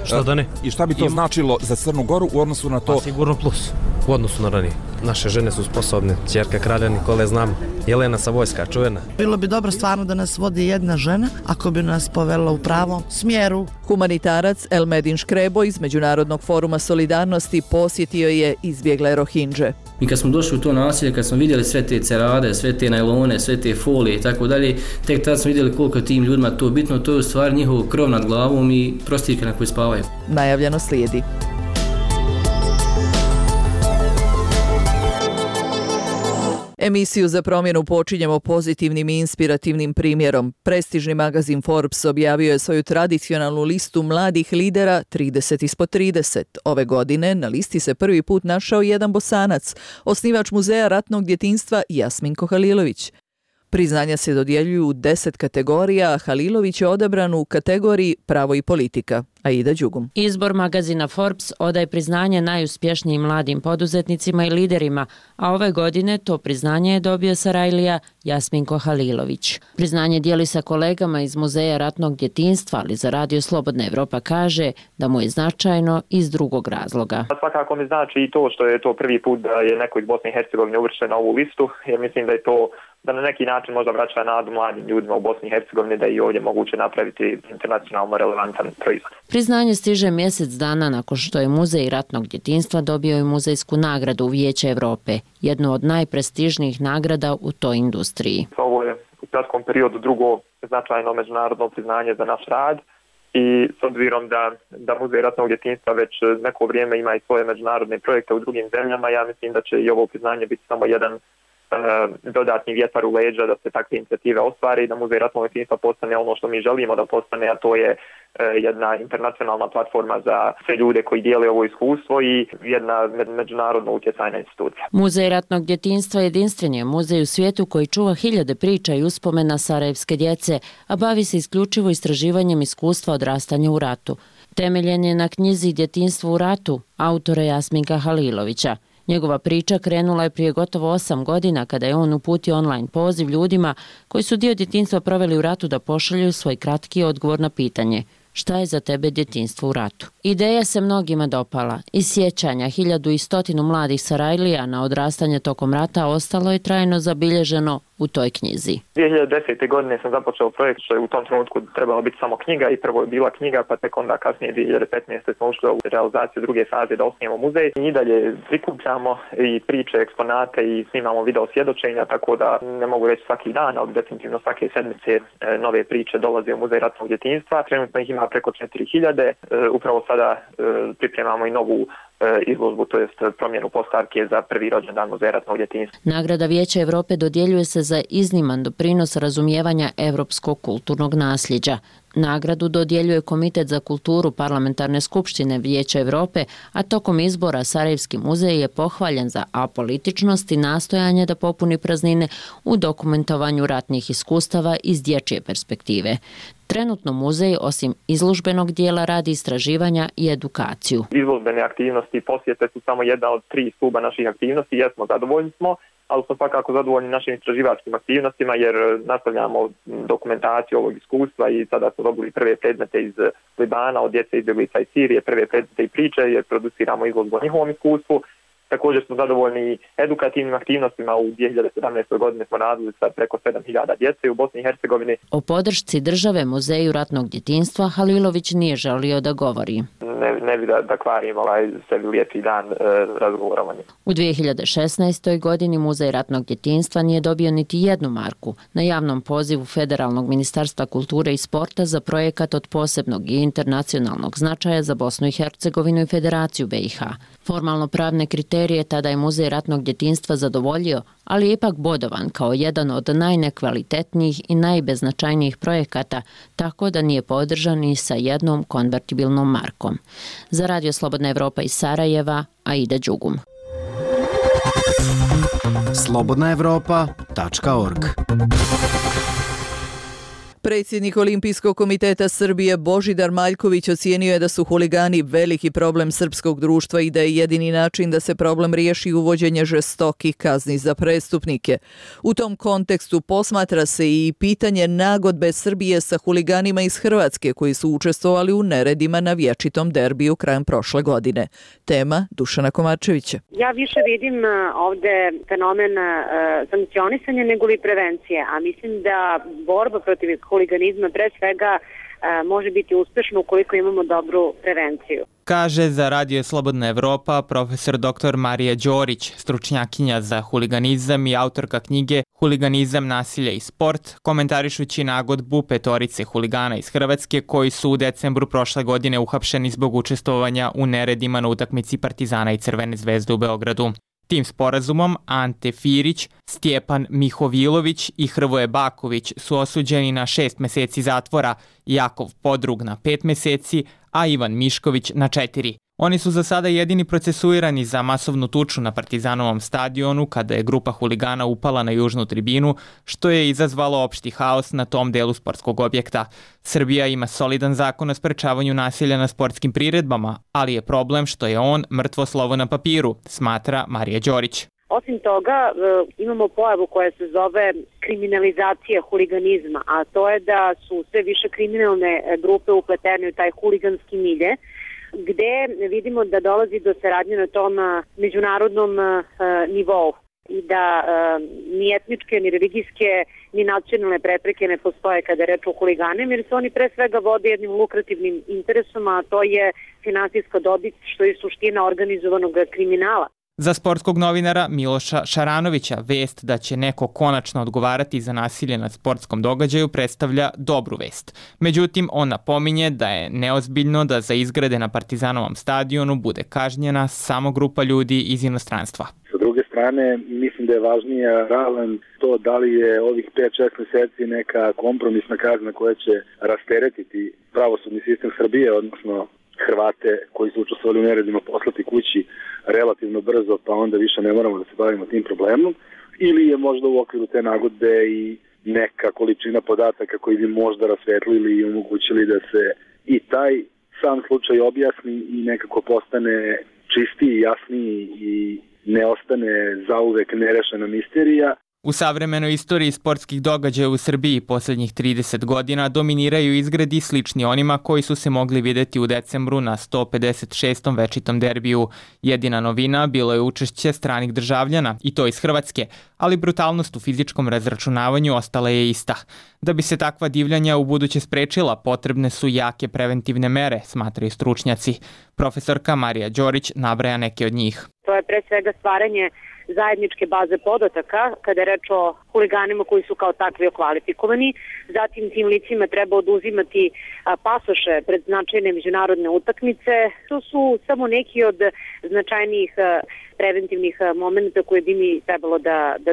Što da ne? I šta bi to značilo za Crnu Goru u odnosu na to? Pa sigurno plus u odnosu na ranije. Naše žene su sposobne. Ćerka kralja Nikole znam. Jelena Savojska, čuvena. Bilo bi dobro stvarno da nas vodi jedna žena, ako bi nas povela u pravom smjeru. Humanitarac Elmedin Škrebo iz Međunarodnog foruma solidarnosti posjetio je izbjegle Rohingje. Mi kad smo došli u to naselje, kad smo vidjeli sve te cerade, sve te najlone, sve te folije i tako dalje, tek tad smo vidjeli koliko je tim ljudima to bitno, to je u stvari njihov krov nad glavom i prostirke na koji spavaju. Najavljeno slijedi. Emisiju za promjenu počinjemo pozitivnim i inspirativnim primjerom. Prestižni magazin Forbes objavio je svoju tradicionalnu listu mladih lidera 30 ispod 30. Ove godine na listi se prvi put našao jedan Bosanac, osnivač Muzeja ratnog djetinjstva Jasminko Halilović. Priznanja se dodjeljuju u 10 kategorija, a Halilović je odabran u kategoriji Pravo i politika. Aida Đugum. Izbor magazina Forbes odaje priznanje najuspješnijim mladim poduzetnicima i liderima, a ove godine to priznanje je dobio Sarajlija Jasminko Halilović. Priznanje dijeli sa kolegama iz Muzeja ratnog djetinjstva, ali za Radio Slobodna Evropa kaže da mu je značajno iz drugog razloga. Svakako mi znači i to što je to prvi put da je neko iz Bosne i Hercegovine uvršten na ovu listu, jer mislim da je to da na neki način možda vraća nadu mladim ljudima u Bosni i Hercegovini da je i ovdje moguće napraviti internacionalno relevantan proizvod. Priznanje stiže mjesec dana nakon što je Muzej ratnog djetinjstva dobio i muzejsku nagradu Vijeća Evrope, jednu od najprestižnijih nagrada u toj industriji. Ovo je u kratkom periodu drugo značajno međunarodno priznanje za naš rad i s obzirom da Muzej ratnog djetinjstva već neko vrijeme ima i svoje međunarodne projekte u drugim zemljama, ja mislim da će i ovo priznanje biti samo jedan dodatni vjetar u leđa da se takve inicijative ostvari i da Muzej ratnog djetinjstva postane ono što mi želimo da postane, a to je jedna internacionalna platforma za sve ljude koji dijele ovo iskustvo i jedna međunarodno utjecajna institucija. Muzej ratnog djetinjstva jedinstven je muzej u svijetu koji čuva hiljade priča i uspomena sarajevske djece, a bavi se isključivo istraživanjem iskustva odrastanja u ratu. Temeljen je na knjizi Djetinjstvo u ratu autora Jasminka Halilovića. Njegova priča krenula je prije gotovo 8 godina kada je on uputio online poziv ljudima koji su dio djetinjstva proveli u ratu da pošalju svoj kratki odgovor na pitanje: šta je za tebe djetinjstvo u ratu? Ideja se mnogima dopala. Iz sjećanja 1100 mladih Sarajlija na odrastanje tokom rata ostalo je trajno zabilježeno u toj knjizi. 2010. godine sam započeo projekt što je u tom trenutku trebalo biti samo knjiga i prvo je bila knjiga, pa tek onda kasnije 2015. smo ušli u realizaciju druge faze da osnijemo muzej. I dalje prikupljamo i priče, eksponate i snimamo video svjedočenja, tako da ne mogu reći svaki dan, ali definitivno svake sedmice nove priče dolaze u Muzej ratnog djetinjstva. Trenutno ih ima preko 4000. Upravo sada pripremamo i novu izložbu, to jest promjenu postavke za prvi rođendan Muzeja ratnog djetinjstva. Nagrada Vijeća Europe dodjeljuje se za izniman doprinos razumijevanja evropskog kulturnog nasljeđa. Nagradu dodjeljuje Komitet za kulturu Parlamentarne skupštine Vijeća Europe, a tokom izbora Sarajevski muzej je pohvaljen za apolitičnost i nastojanje da popuni praznine u dokumentovanju ratnih iskustava iz dječje perspektive. Trenutno muzej, osim izložbenog dijela, radi istraživanja i edukaciju. Izložbene aktivnosti i posjete su samo jedna od 3 stuba naših aktivnosti. Jesmo, zadovoljni smo, ali smo svakako zadovoljni našim istraživačkim aktivnostima jer nastavljamo dokumentaciju ovog iskustva i sada smo dobili prve predmete iz Libana, od djece izbjeglica iz Sirije, prve predmete i priče jer produciramo izložbu o njihovom iskustvu. Također smo zadovoljni edukativnim aktivnostima. U 2017. godini smo radili sa preko 7.000 djece u Bosni i Hercegovini. O podršci države Muzeju ratnog djetinjstva Halilović nije želio da govori. Ne bi da kvarim sebi lijepi dan razgovorovanja. U 2016. godini Muzej ratnog djetinjstva nije dobio niti jednu marku na javnom pozivu Federalnog ministarstva kulture i sporta za projekat od posebnog i internacionalnog značaja za Bosnu i Hercegovinu i Federaciju BiH. Formalno pravne kriterije tada je Muzej ratnog djetinjstva zadovoljio, ali je ipak bodovan kao jedan od najnekvalitetnijih i najbeznačajnijih projekata, tako da nije podržan ni sa jednom konvertibilnom markom. Za Radio Slobodna Evropa iz Sarajeva, Aida Đugum. slobodnaevropa.org. Predsjednik Olimpijskog komiteta Srbije Božidar Maljković ocijenio je da su huligani veliki problem srpskog društva i da je jedini način da se problem riješi uvođenje žestokih kazni za prestupnike. U tom kontekstu posmatra se i pitanje nagodbe Srbije sa huliganima iz Hrvatske koji su učestvovali u neredima na vječitom derbiju krajem prošle godine. Tema Dušana Komarčevića. Ja više vidim ovde fenomen sankcionisanja nego li prevencije, a mislim da borba protiv huliganizma pre svega može biti uspešno ukoliko imamo dobru prevenciju. Kaže za Radio Slobodna Evropa profesor dr. Marija Đorić, stručnjakinja za huliganizam i autorka knjige Huliganizam, nasilje i sport, komentarišući nagodbu 5 huligana iz Hrvatske koji su u decembru prošle godine uhapšeni zbog učestvovanja u neredima na utakmici Partizana i Crvene zvezde u Beogradu. Tim sporazumom Ante Firić, Stjepan Mihovilović i Hrvoje Baković su osuđeni na 6 mjeseci zatvora, Jakov Podrug na 5 mjeseci, a Ivan Mišković na 4. Oni su za sada jedini procesuirani za masovnu tuču na Partizanovom stadionu kada je grupa huligana upala na južnu tribinu, što je izazvalo opšti haos na tom delu sportskog objekta. Srbija ima solidan zakon o sprečavanju nasilja na sportskim priredbama, ali je problem što je on mrtvo slovo na papiru, smatra Marija Đorić. Osim toga, imamo pojavu koja se zove kriminalizacija huliganizma, a to je da su sve više kriminalne grupe upletene u taj huliganski milje, gde vidimo da dolazi do saradnje na tom međunarodnom nivou i da ni etničke, ni religijske, ni nacionalne prepreke ne postoje kada je reč o huliganima, jer se oni pre svega vode jednim lukrativnim interesom, a to je finansijska dobit, što je suština organizovanog kriminala. Za sportskog novinara Miloša Šaranovića vest da će neko konačno odgovarati za nasilje na sportskom događaju predstavlja dobru vest. Međutim, on napominje da je neozbiljno da za izgrede na Partizanovom stadionu bude kažnjena samo grupa ljudi iz inostranstva. Sa druge strane, mislim da je važnija ravan to da li je ovih 5-6 mjeseci neka kompromisna kazna koja će rasteretiti pravosudni sistem Srbije, odnosno Hrvate koji su učestvovali u neredima poslati kući relativno brzo, pa onda više ne moramo da se bavimo tim problemom, ili je možda u okviru te nagodbe i neka količina podataka koji bi možda rasvetlili i omogućili da se i taj sam slučaj objasni i nekako postane čistiji, jasniji i ne ostane zauvek nerešena misterija. U savremenoj istoriji sportskih događaja u Srbiji posljednjih 30 godina dominiraju izgredi slični onima koji su se mogli vidjeti u decembru na 156. večitom derbiju. Jedina novina bilo je učešće stranih državljana, i to iz Hrvatske, ali brutalnost u fizičkom razračunavanju ostala je ista. Da bi se takva divljanja u buduće sprečila, potrebne su jake preventivne mere, smatraju stručnjaci. Profesorka Marija Đorić nabraja neke od njih. To je pre svega stvaranje zajedničke baze podataka kada je reč o huliganima koji su kao takvi okvalifikovani. Zatim tim licima treba oduzimati pasoše pred značajne međunarodne utakmice. To su samo neki od značajnijih preventivnih momenta koje bi mi trebalo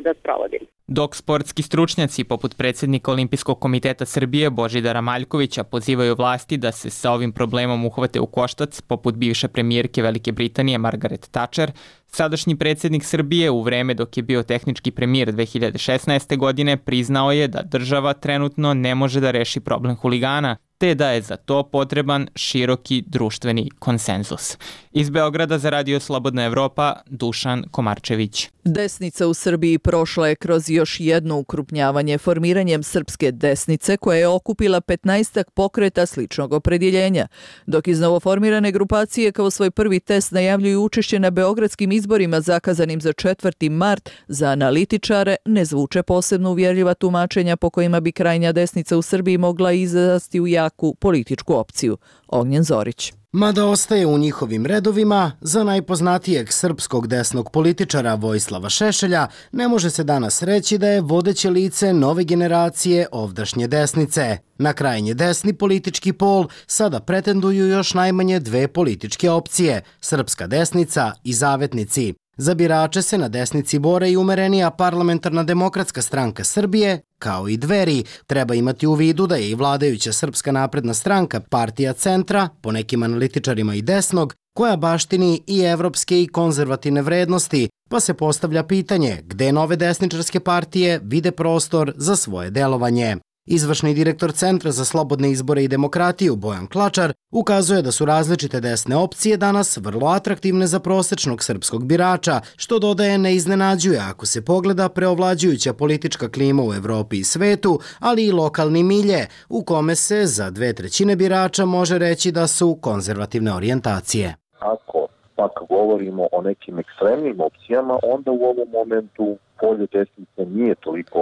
da sprovodimo. Dok sportski stručnjaci poput predsjednika Olimpijskog komiteta Srbije Božidara Maljkovića pozivaju vlasti da se sa ovim problemom uhvate u koštac, poput bivše premijerke Velike Britanije Margaret Thatcher, sadašnji predsjednik Srbije u vreme dok je bio tehnički premijer 2016. godine priznao je da država trenutno ne može da reši problem huligana, te da je za to potreban široki društveni konsenzus. Iz Beograda za Radio Slobodna Evropa, Dušan Komarčević. Desnica u Srbiji prošla je kroz još jedno ukrupnjavanje formiranjem Srpske desnice koja je okupila 15 pokreta sličnog opredjeljenja, dok iz novoformirane grupacije kao svoj prvi test najavljuju učešće na beogradskim izborima zakazanim za 4. mart, za analitičare ne zvuče posebno uvjerljiva tumačenja po kojima bi krajnja desnica u Srbiji mogla izrasti u jaku političku opciju. Ognjen Zorić. Mada ostaje u njihovim redovima, za najpoznatijeg srpskog desnog političara Vojislava Šešelja ne može se danas reći da je vodeće lice nove generacije ovdašnje desnice. Na krajnje desni politički pol sada pretenduju još najmanje dve političke opcije, Srpska desnica i Zavetnici. Za birače se na desnici bore i umerenija Parlamentarna demokratska stranka Srbije, kao i Dveri. Treba imati u vidu da je i vladajuća Srpska napredna stranka partija centra, po nekim analitičarima i desnog, koja baštini i evropske i konzervativne vrednosti, pa se postavlja pitanje gde nove desničarske partije vide prostor za svoje delovanje. Izvršni direktor Centra za slobodne izbore i demokratiju Bojan Klačar ukazuje da su različite desne opcije danas vrlo atraktivne za prosečnog srpskog birača, što dodaje ne iznenađuje ako se pogleda preovlađujuća politička klima u Evropi i svetu, ali i lokalni milje, u kome se za 2/3 birača može reći da su konzervativne orijentacije. Ako pak govorimo o nekim ekstremnim opcijama, onda u ovom momentu polje desnice nije toliko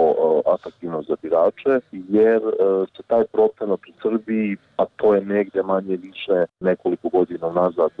atraktivno za birače, jer se taj procenat u Srbiji, a to je negde manje više nekoliko godina nazad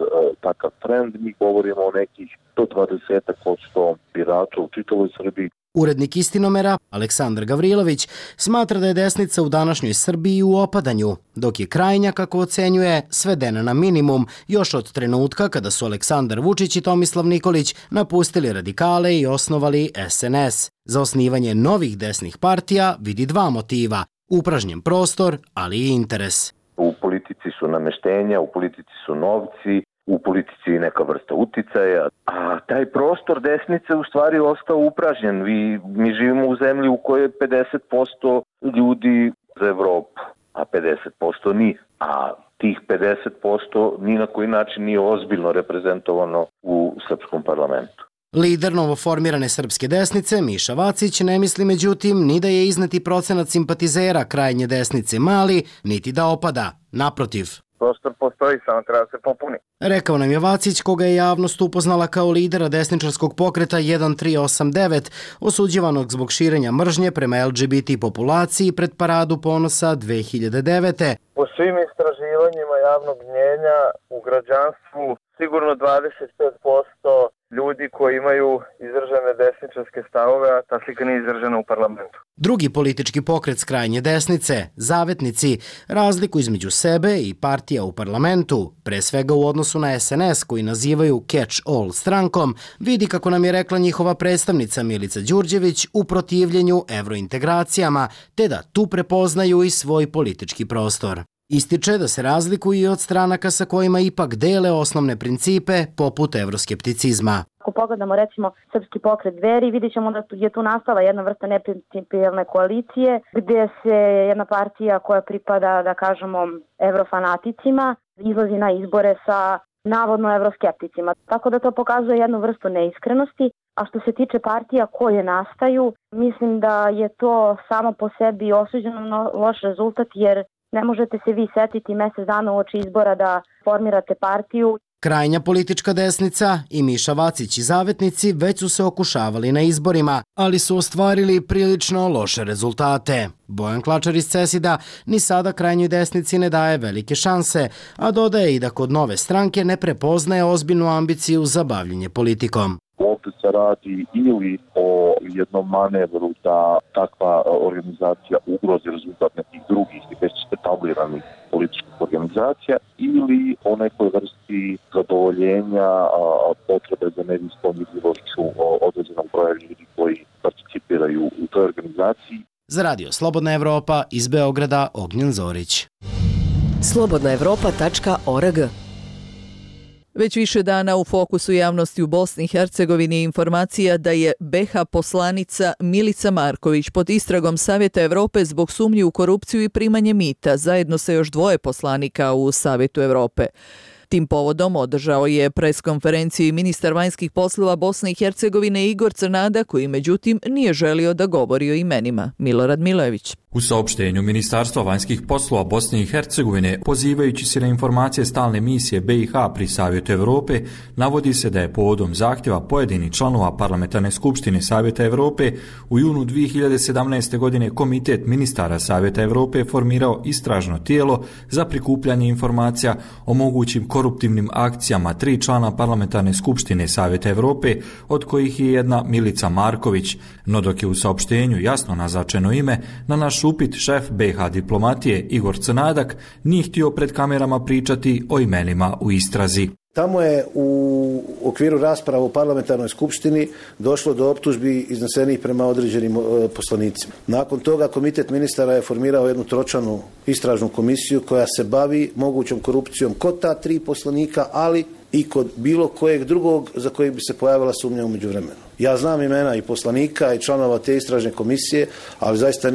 takav trend, mi govorimo o nekih 120% birača u čitavoj Srbiji. Urednik Istinomera, Aleksandar Gavrilović, smatra da je desnica u današnjoj Srbiji u opadanju, dok je krajnja, kako ocenjuje, svedena na minimum još od trenutka kada su Aleksandar Vučić i Tomislav Nikolić napustili radikale i osnovali SNS. Za osnivanje novih desnih partija vidi dva motiva, upražnjen prostor, ali i interes. U politici su nameštenja, u politici su novci, u politici je neka vrsta uticaja, a taj prostor desnice u stvari ostao upražnjen. Mi živimo u zemlji u kojoj je 50% ljudi za Evropu, a 50% nije. A tih 50% ni na koji način nije ozbiljno reprezentovano u srpskom parlamentu. Lider novoformirane srpske desnice, Miša Vacić, ne misli međutim ni da je izneti procenat simpatizera krajnje desnice mali, niti da opada. Naprotiv. Prostor postoji, samo treba se popuni. Rekao nam je Vacić, koga je javnost upoznala kao lidera desničarskog pokreta 1389, osuđivanog zbog širenja mržnje prema LGBT populaciji pred Paradu ponosa 2009. Po svim istraživanjima javnog mnjenja u građanstvu sigurno 25% ljudi koji imaju izražene desničarske stavove, a ta slika nije izražena u parlamentu. Drugi politički pokret s krajnje desnice, Zavetnici, razliku između sebe i partija u parlamentu, pre svega u odnosu na SNS koji nazivaju catch-all strankom, vidi, kako nam je rekla njihova predstavnica Milica Đurđević, u protivljenju evrointegracijama, te da tu prepoznaju i svoj politički prostor. Ističe da se razlikuju i od stranaka sa kojima ipak dele osnovne principe poput evroskepticizma. Ako pogledamo recimo Srpski pokret Dveri, vidjet ćemo da je tu nastala jedna vrsta neprincipijelne koalicije gdje se jedna partija koja pripada, da kažemo, evrofanaticima izlazi na izbore sa navodno evroskepticima. Tako da to pokazuje jednu vrstu neiskrenosti. A što se tiče partija koje nastaju, mislim da je to samo po sebi osuđeno na loš rezultat, jer ne možete se vi setiti mjesec dana uoči izbora da formirate partiju. Krajnja politička desnica i Miša Vacić i Zavetnici već su se okušavali na izborima, ali su ostvarili prilično loše rezultate. Bojan Klačar iz CESID-a ni sada krajnjoj desnici ne daje velike šanse, a dodaje i da kod nove stranke ne prepoznaje ozbiljnu ambiciju za bavljenje politikom. U ovdje se radi ili o jednom manevru da takva organizacija ugrozi rezultat nekih drugih već etabliranih političkih organizacija ili o nekoj vrsti zadovoljenja potrebe za medijskom vidljivošću određenog broja ljudi koji participiraju u toj organizaciji. Za Radio Slobodna Evropa iz Beograda Ognjen Zorić. slobodnaevropa.org. Već više dana u fokusu javnosti u Bosni i Hercegovini je informacija da je BiH poslanica Milica Marković pod istragom Savjeta Evrope zbog sumnji u korupciju i primanje mita, zajedno sa još 2 poslanika u Savjetu Evrope. Tim povodom održao je preskonferenciju i ministar vanjskih poslova Bosne i Hercegovine Igor Crnada, koji međutim nije želio da govori o imenima. Milorad Milojević. U saopštenju Ministarstva vanjskih poslova Bosne i Hercegovine, pozivajući se na informacije stalne misije BiH pri Savjetu Evrope, navodi se da je povodom zahtjeva pojedinih članova Parlamentarne skupštine Savjeta Evrope u junu 2017. godine Komitet ministara Savjeta Evrope formirao istražno tijelo za prikupljanje informacija o mogućim koruptivnim akcijama 3 člana Parlamentarne skupštine Savjeta Evrope, od kojih je jedna Milica Marković, no dok je u saopštenju jasno naznačeno ime, na naš upit šef BiH diplomatije Igor Crnadak nije htio pred kamerama pričati o imenima u istrazi. Tamo je u okviru rasprava u parlamentarnoj skupštini došlo do optužbi iznesenih prema određenim poslanicima. Nakon toga komitet ministara je formirao jednu tročlanu istražnu komisiju koja se bavi mogućom korupcijom kod ta 3 poslanika, ali i kod bilo kojeg drugog za kojeg bi se pojavila sumnja u međuvremenu. Ja znam imena i poslanika i članova te istražne komisije, ali zaista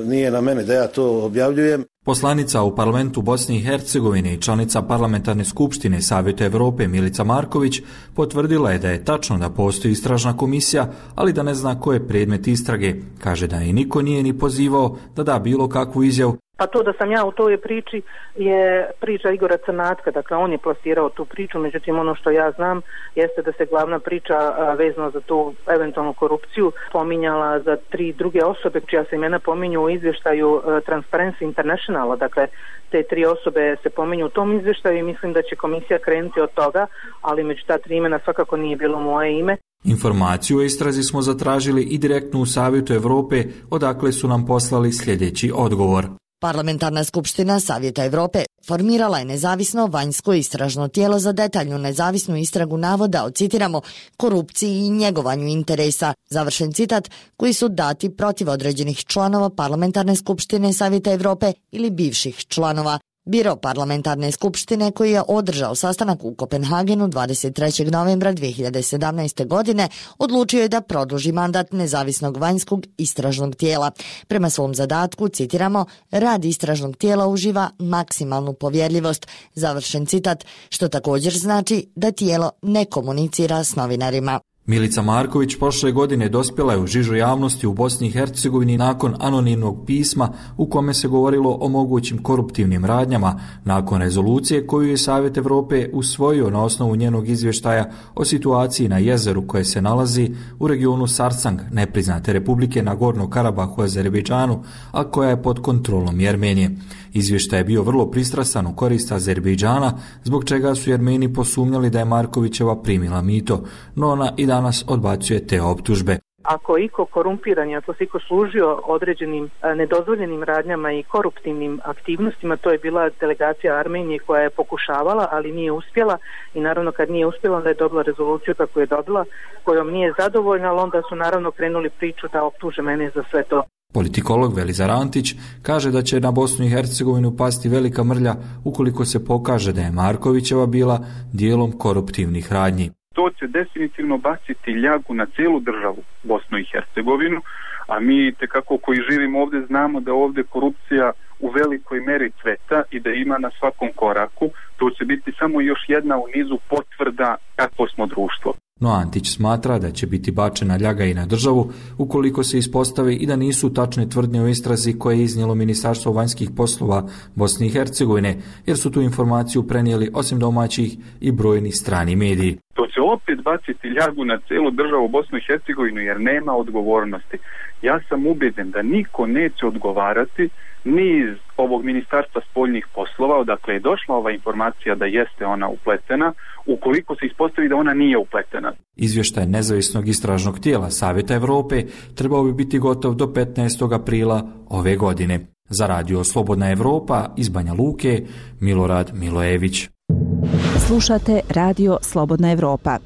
nije na mene da ja to objavljujem. Poslanica u parlamentu Bosne i Hercegovine i članica Parlamentarne skupštine Savjeta Evrope Milica Marković potvrdila je da je tačno da postoji istražna komisija, ali da ne zna ko je predmet istrage. Kaže da je niko nije ni pozivao da da bilo kakvu izjavu. Pa to da sam ja u toj priči je priča Igora Crnatka, dakle on je plasirao tu priču, međutim ono što ja znam jeste da se glavna priča vezano za tu eventualnu korupciju pominjala za 3 druge osobe čija se imena pominju u izvještaju Transparency Internationala, dakle te 3 osobe se pominju u tom izvještaju i mislim da će komisija krenuti od toga, ali među ta 3 imena svakako nije bilo moje ime. Informaciju o istrazi smo zatražili i direktno u Savjetu Evrope, odakle su nam poslali sljedeći odgovor. Parlamentarna skupština Savjeta Evrope formirala je nezavisno vanjsko istražno tijelo za detaljnu nezavisnu istragu navoda o, citiramo, korupciji i njegovanju interesa, završen citat, koji su dati protiv određenih članova Parlamentarne skupštine Savjeta Evrope ili bivših članova. Biro Parlamentarne skupštine, koji je održao sastanak u Kopenhagenu 23. novembra 2017. godine, odlučio je da produži mandat nezavisnog vanjskog istražnog tijela. Prema svom zadatku, citiramo, rad istražnog tijela uživa maksimalnu povjerljivost, završen citat, što također znači da tijelo ne komunicira s novinarima. Milica Marković prošle godine dospjela je u žižu javnosti u Bosni i Hercegovini nakon anonimnog pisma u kome se govorilo o mogućim koruptivnim radnjama nakon rezolucije koju je Savjet Evrope usvojio na osnovu njenog izvještaja o situaciji na jezeru koje se nalazi u regionu Sarsang, nepriznate republike Nagorno Karabahu u Azerbejdžanu, a koja je pod kontrolom Jermenije. Izvještaj je bio vrlo pristrasan u korist Azerbejdžana, zbog čega su Jermeni posumnjali da je Markovićeva primila mito, no ona i danas odbacuje te optužbe. Ako je iko korumpiran i ako se iko služio određenim nedozvoljenim radnjama i koruptivnim aktivnostima, to je bila delegacija Armenije koja je pokušavala, ali nije uspjela i naravno kad nije uspjela onda je dobila rezoluciju kako je dobila, kojom nije zadovoljna, ali onda su naravno krenuli priču da optuže mene za sve to. Politikolog Velizar Antić kaže da će na Bosnu i Hercegovinu pasti velika mrlja ukoliko se pokaže da je Markovićeva bila dijelom koruptivnih radnji. To će definitivno baciti ljagu na cijelu državu Bosnu i Hercegovinu, a mi tekako koji živimo ovdje znamo da ovdje korupcija u velikoj meri cveta i da ima na svakom koraku. To će biti samo još jedna u nizu potvrda kakvo smo društvo. No Antić smatra da će biti bačena ljaga i na državu ukoliko se ispostavi i da nisu tačne tvrdnje o istrazi koje je iznijelo Ministarstvo vanjskih poslova Bosne i Hercegovine, jer su tu informaciju prenijeli osim domaćih i brojni strani mediji. To će opet baciti ljagu na celu državu Bosnu i Hercegovinu jer nema odgovornosti. Ja sam ubeđen da niko neće odgovarati ni iz ovog Ministarstva spoljnih poslova, odakle je došla ova informacija da jeste ona upletena, ukoliko se ispostavi da ona nije upletena. Izvještaj nezavisnog istražnog tijela Savjeta Evrope trebao bi biti gotov do 15. aprila ove godine. Za radio Slobodna Evropa iz Banja Luke, Milorad Milojević. Slušate radio Slobodna Evropa.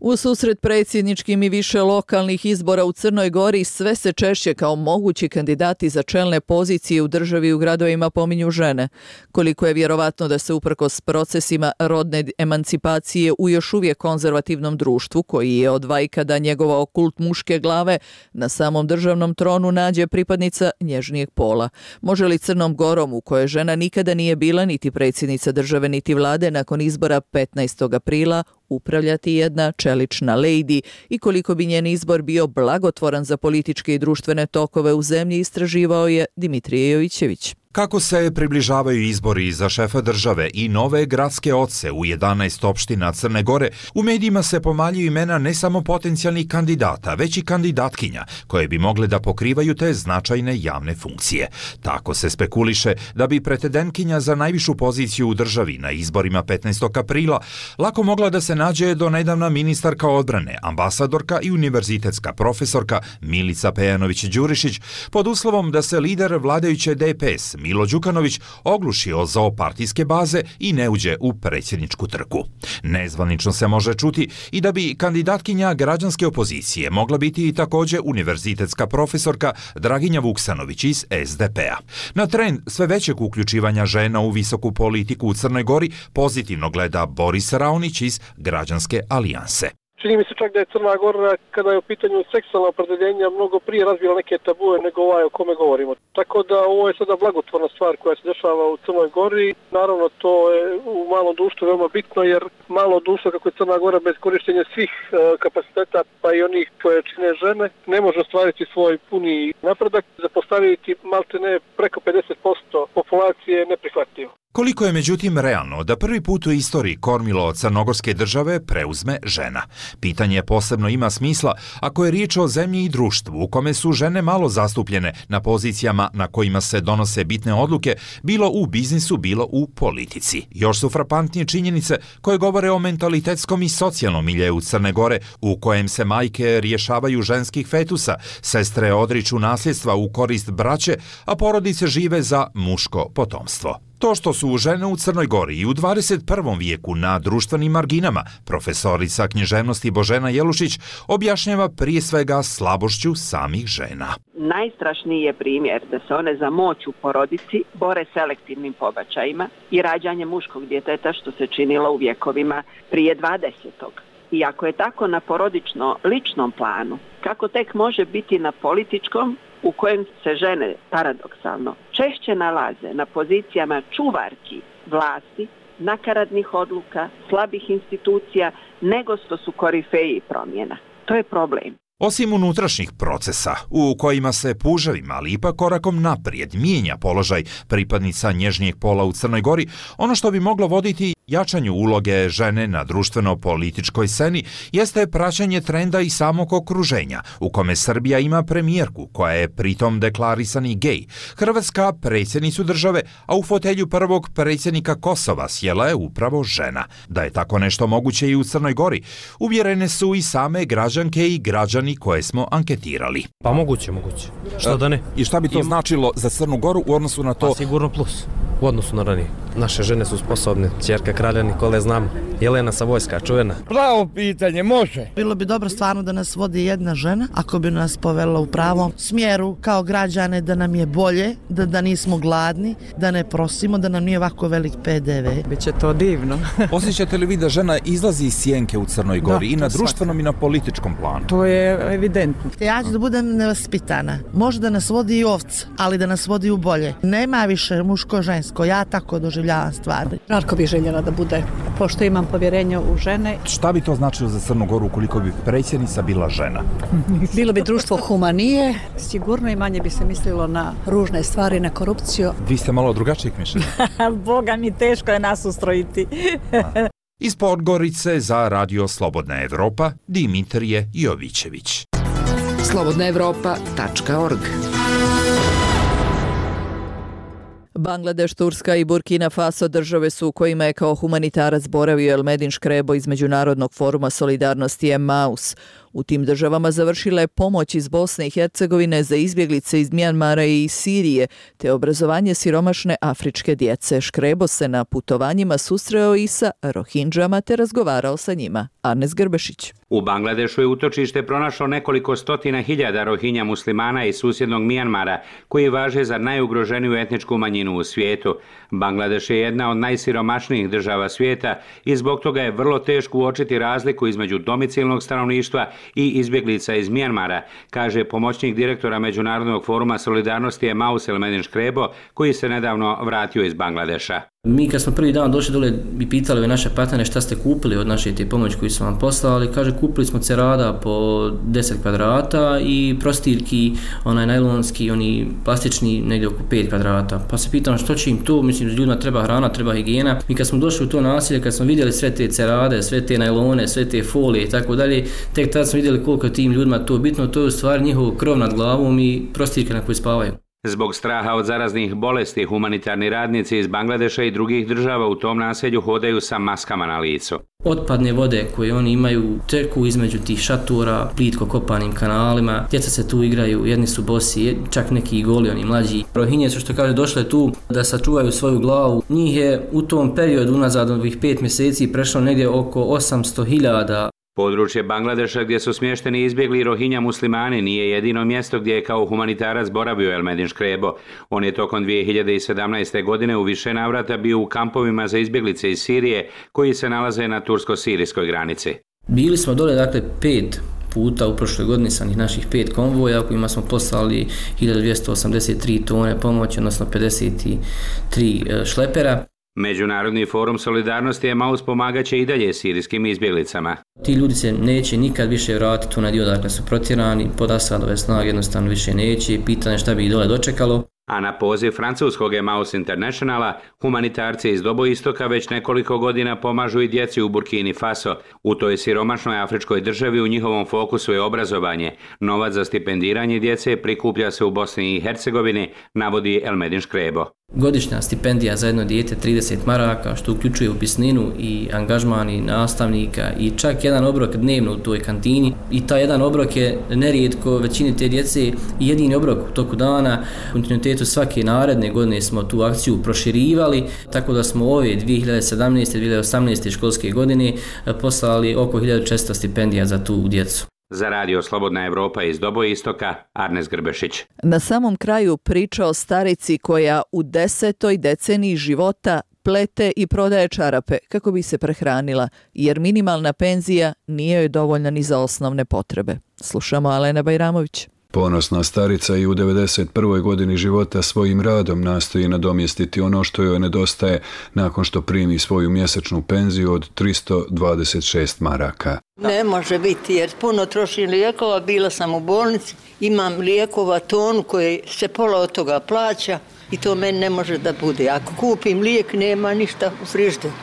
U susret predsjedničkim i više lokalnih izbora u Crnoj Gori sve se češće kao mogući kandidati za čelne pozicije u državi i u gradovima pominju žene. Koliko je vjerovatno da se uprkos procesima rodne emancipacije u još uvijek konzervativnom društvu, koji je od vajkada njegovao kult muške glave, na samom državnom tronu nađe pripadnica nježnijeg pola. Može li Crnom Gorom, u kojoj žena nikada nije bila niti predsjednica države niti vlade, nakon izbora 15. aprila upravljati jedna čelična lejdi i koliko bi njen izbor bio blagotvoran za političke i društvene tokove u zemlji, istraživao je Dimitrije Jovićević. Kako se približavaju izbori za šefa države i nove gradske oce u 11 opština Crne Gore, u medijima se pomaljuju imena ne samo potencijalnih kandidata, već i kandidatkinja, koje bi mogle da pokrivaju te značajne javne funkcije. Tako se spekuliše da bi pretendentkinja za najvišu poziciju u državi na izborima 15. aprila lako mogla da se nađe do nedavna ministarka odbrane, ambasadorka i univerzitetska profesorka Milica Pejanović-Đurišić, pod uslovom da se lider vladajuće DPS Milo Đukanović ogluši o zoopartijske baze i ne uđe u predsjedničku trku. Nezvanično se može čuti i da bi kandidatkinja građanske opozicije mogla biti i također univerzitetska profesorka Draginja Vuksanović iz SDP-a. Na trend sve većeg uključivanja žena u visoku politiku u Crnoj Gori pozitivno gleda Boris Raonić iz Građanske alijanse. Čini mi se čak da je Crna Gora, kada je u pitanju seksualna opredeljenja, mnogo prije razvila neke tabue nego ovaj o kome govorimo. Tako da ovo je sada blagotvorna stvar koja se dešava u Crnoj Gori. Naravno, to je u malom društvu veoma bitno, jer malo društvo kako je Crna Gora bez korištenja svih kapaciteta, pa i onih koje čine žene, ne može ostvariti svoj puni napredak. Zapostaviti maltene preko 50% populacije je neprihvatljivo. Koliko je međutim realno da prvi put u istoriji kormilo crnogorske države preuzme žena? Pitanje posebno ima smisla ako je riječ o zemlji i društvu u kome su žene malo zastupljene na pozicijama na kojima se donose bitne odluke, bilo u biznisu, bilo u politici. Još su frapantnije činjenice koje govore o mentalitetskom i socijalnom miljeu Crne Gore, u kojem se majke rješavaju ženskih fetusa, sestre odriču nasljedstva u korist braće, a porodice žive za muško potomstvo. To što su žene u Crnoj Gori i u 21. vijeku na društvenim marginama, profesorica književnosti Božena Jelušić objašnjava prije svega slabošću samih žena. Najstrašniji je primjer da se one za moć u porodici bore selektivnim pobačajima i rađanjem muškog djeteta, što se činilo u vjekovima prije 20. I ako je tako na porodično-ličnom planu, kako tek može biti na političkom, u kojem se žene, paradoksalno, češće nalaze na pozicijama čuvarki vlasti, nakaradnih odluka, slabih institucija, nego što su korifeji promjena. To je problem. Osim unutrašnjih procesa, u kojima se puževima, ali ipak korakom naprijed mijenja položaj pripadnica nježnijeg pola u Crnoj Gori, ono što bi moglo voditi jačanju uloge žene na društveno-političkoj sceni jeste praćenje trenda i samog okruženja, u kome Srbija ima premijerku, koja je pritom deklarisani gej, Hrvatska predsjednicu države, a u fotelju prvog predsjednika Kosova sjela je upravo žena. Da je tako nešto moguće i u Crnoj Gori, uvjerene su i same građanke i građani koje smo anketirali. Pa moguće. Što da ne? I šta bi to značilo za Crnu Goru u odnosu na to? Pa sigurno plus. U odnosu na ranije. Naše žene su sposobne. Ćerka kralja Nikole znam. Jelena Savojska, čuvena. Pravo pitanje, može. Bilo bi dobro stvarno da nas vodi jedna žena, ako bi nas povela u pravom smjeru kao građane, da nam je bolje, da nismo gladni, da ne prosimo, da nam nije ovako velik PDV. Biće to divno. Osjećate li vi da žena izlazi iz sjenke u Crnoj Gori i na društvenom i na političkom planu? To je evidentno. Ja ću da budem nevaspitana. Može da nas vodi i ovca, ali da nas vodi u bolje. Nema više muško-žensko, ja tako doživljavam stvari. Žarko bi željela da bude, pošto imam povjerenje u žene. Šta bi to značilo za Crnu Goru ukoliko bi predsjednica bila žena? Bilo bi društvo humanije, sigurno i manje bi se mislilo na ružne stvari, na korupciju. Vi ste malo drugačijeg mišljenja. Boga mi, teško je nas ustrojiti. Iz Podgorice za Radio Slobodna Evropa Dimitrije Jovićević. slobodnaevropa.org. Bangladeš, Turska i Burkina Faso države su u kojima je kao humanitarac boravio Elmedin Škrebo iz Međunarodnog foruma solidarnosti Emmaus. U tim državama završila je pomoć iz Bosne i Hercegovine za izbjeglice iz Mjanmara i iz Sirije, te obrazovanje siromašne afričke djece. Škrebo se na putovanjima susreo i sa Rohindžama te razgovarao sa njima. Arnes Grbešić. U Bangladešu je utočište pronašlo nekoliko stotina hiljada Rohinja muslimana iz susjednog Mjanmara, koji važe za najugroženiju etničku manjinu u svijetu. Bangladeš je jedna od najsiromašnijih država svijeta i zbog toga je vrlo teško uočiti razliku između domicilnog stanovništva i izbjeglica iz Mjanmara, kaže pomoćnik direktora Međunarodnog foruma solidarnosti Emmaus Elmedin Škrebo, koji se nedavno vratio iz Bangladeša. Mi kad smo prvi dan došli dole i pitali ove naše partnere šta ste kupili od naše te pomoći koju su vam poslali, kaže kupili smo cerada po 10 kvadrata i prostirki, onaj najlonski, oni plastični negdje oko 5 kvadrata. Pa se pitam što će im to, mislim ljudima treba hrana, treba higijena. Mi kad smo došli u to naselje, kad smo vidjeli sve te cerade, sve te najlone, sve te folije i tako dalje, tek tad smo vidjeli koliko tim ljudima to bitno, to je u stvari njihov krov nad glavom i prostirke na kojoj spavaju. Zbog straha od zaraznih bolesti, humanitarni radnici iz Bangladeša i drugih država u tom naselju hodaju sa maskama na licu. Otpadne vode koje oni imaju teku između tih šatora, plitko kopanim kanalima, djeca se tu igraju, jedni su bosi, čak neki i goli, oni mlađi. Rohinje su, što kaže, došle tu da sačuvaju svoju glavu. Njih je u tom periodu unazad ovih 5 mjeseci prešlo negdje oko 800.000. Područje Bangladeša gdje su smješteni izbjegli Rohinja muslimani nije jedino mjesto gdje je kao humanitarac boravio Elmedin Škrebo. On je tokom 2017. godine u više navrata bio u kampovima za izbjeglice iz Sirije koji se nalaze na tursko-sirijskoj granici. Bili smo dole, dakle, 5 puta u prošloj godini sa naših 5 konvoja u kojima smo poslali 1283 tone pomoći, odnosno 53 šlepera. Međunarodni forum solidarnosti Emmaus pomagaće i dalje sirijskim izbjeglicama. Ti ljudi se neće nikad više vratiti u onaj dio dakle su protjerani, pod Asadove snage jednostavno više neće, pitanje šta bi ih dole dočekalo. A na poziv francuskog Emmaus Internationala, humanitarci iz Doboistoka već nekoliko godina pomažu i djeci u Burkini Faso. U toj siromašnoj afričkoj državi u njihovom fokusu je obrazovanje. Novac za stipendiranje djece prikuplja se u Bosni i Hercegovini, navodi Elmedin Škrebo. Godišnja stipendija za jedno dijete 30 maraka, što uključuje upisninu i angažman i nastavnika i čak jedan obrok dnevno u toj kantini. I taj jedan obrok je nerijetko većini te djece jedini obrok u toku dana. U kontinuitetu svake naredne godine smo tu akciju proširivali, tako da smo ove 2017. i 2018. školske godine poslali oko 1400 stipendija za tu djecu. Za Radio Slobodna Evropa iz Doboistoka, Arnes Grbešić. Na samom kraju priča o starici koja u 10. deceniji života plete i prodaje čarape kako bi se prehranila, jer minimalna penzija nije joj dovoljna ni za osnovne potrebe. Slušamo Alena Bajramović. Ponosna starica i u 91. godini života svojim radom nastoji nadomjestiti ono što joj nedostaje nakon što primi svoju mjesečnu penziju od 326 maraka. Ne može biti jer puno trošim lijekova, bila sam u bolnici, imam lijekova tonu koji se pola od toga plaća i to meni ne može da bude. Ako kupim lijek nema ništa u frižderu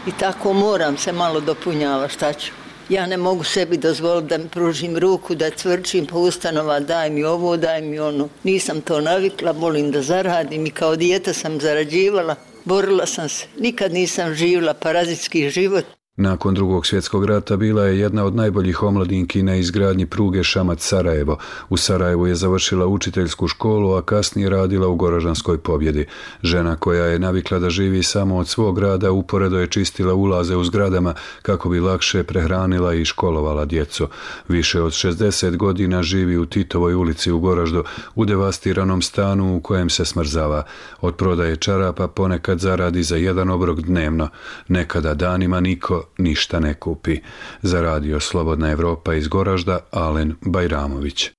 i tako moram se malo dopunjavati, šta ću. Ja ne mogu sebi dozvoliti da mi pružim ruku, da cvrčim po ustanova, daj mi ovo, daj mi ono. Nisam to navikla, volim da zaradim i kao dijete sam zarađivala, borila sam se. Nikad nisam živjela parazitski život. Nakon Drugog svjetskog rata bila je jedna od najboljih omladinki na izgradnji pruge Šamac-Sarajevo. U Sarajevu je završila učiteljsku školu, a kasnije radila u Goražanskoj Pobjedi. Žena koja je navikla da živi samo od svog rada uporedo je čistila ulaze u zgradama kako bi lakše prehranila i školovala djecu. Više od 60 godina živi u Titovoj ulici u Goraždu, u devastiranom stanu u kojem se smrzava. Od prodaje čarapa ponekad zaradi za jedan obrok dnevno. Nekada danima niko ništa ne kupi. Za Radio Slobodna Evropa iz Goražda, Alen Bajramović.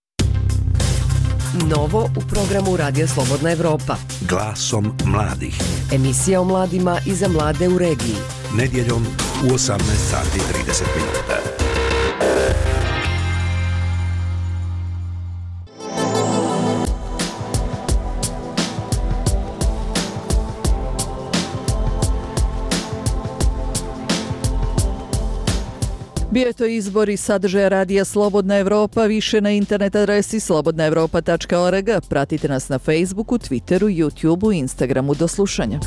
Novo u programu Radio Slobodna Evropa. Glasom mladih. Emisija o mladima i za mlade u regiji. Nedjeljom u 18:30. Prijeto izbori sadržaja radija Slobodna Evropa više na internet adresi slobodnaevropa.org. Pratite nas na Facebooku, Twitteru, YouTubeu i Instagramu. Do slušanja.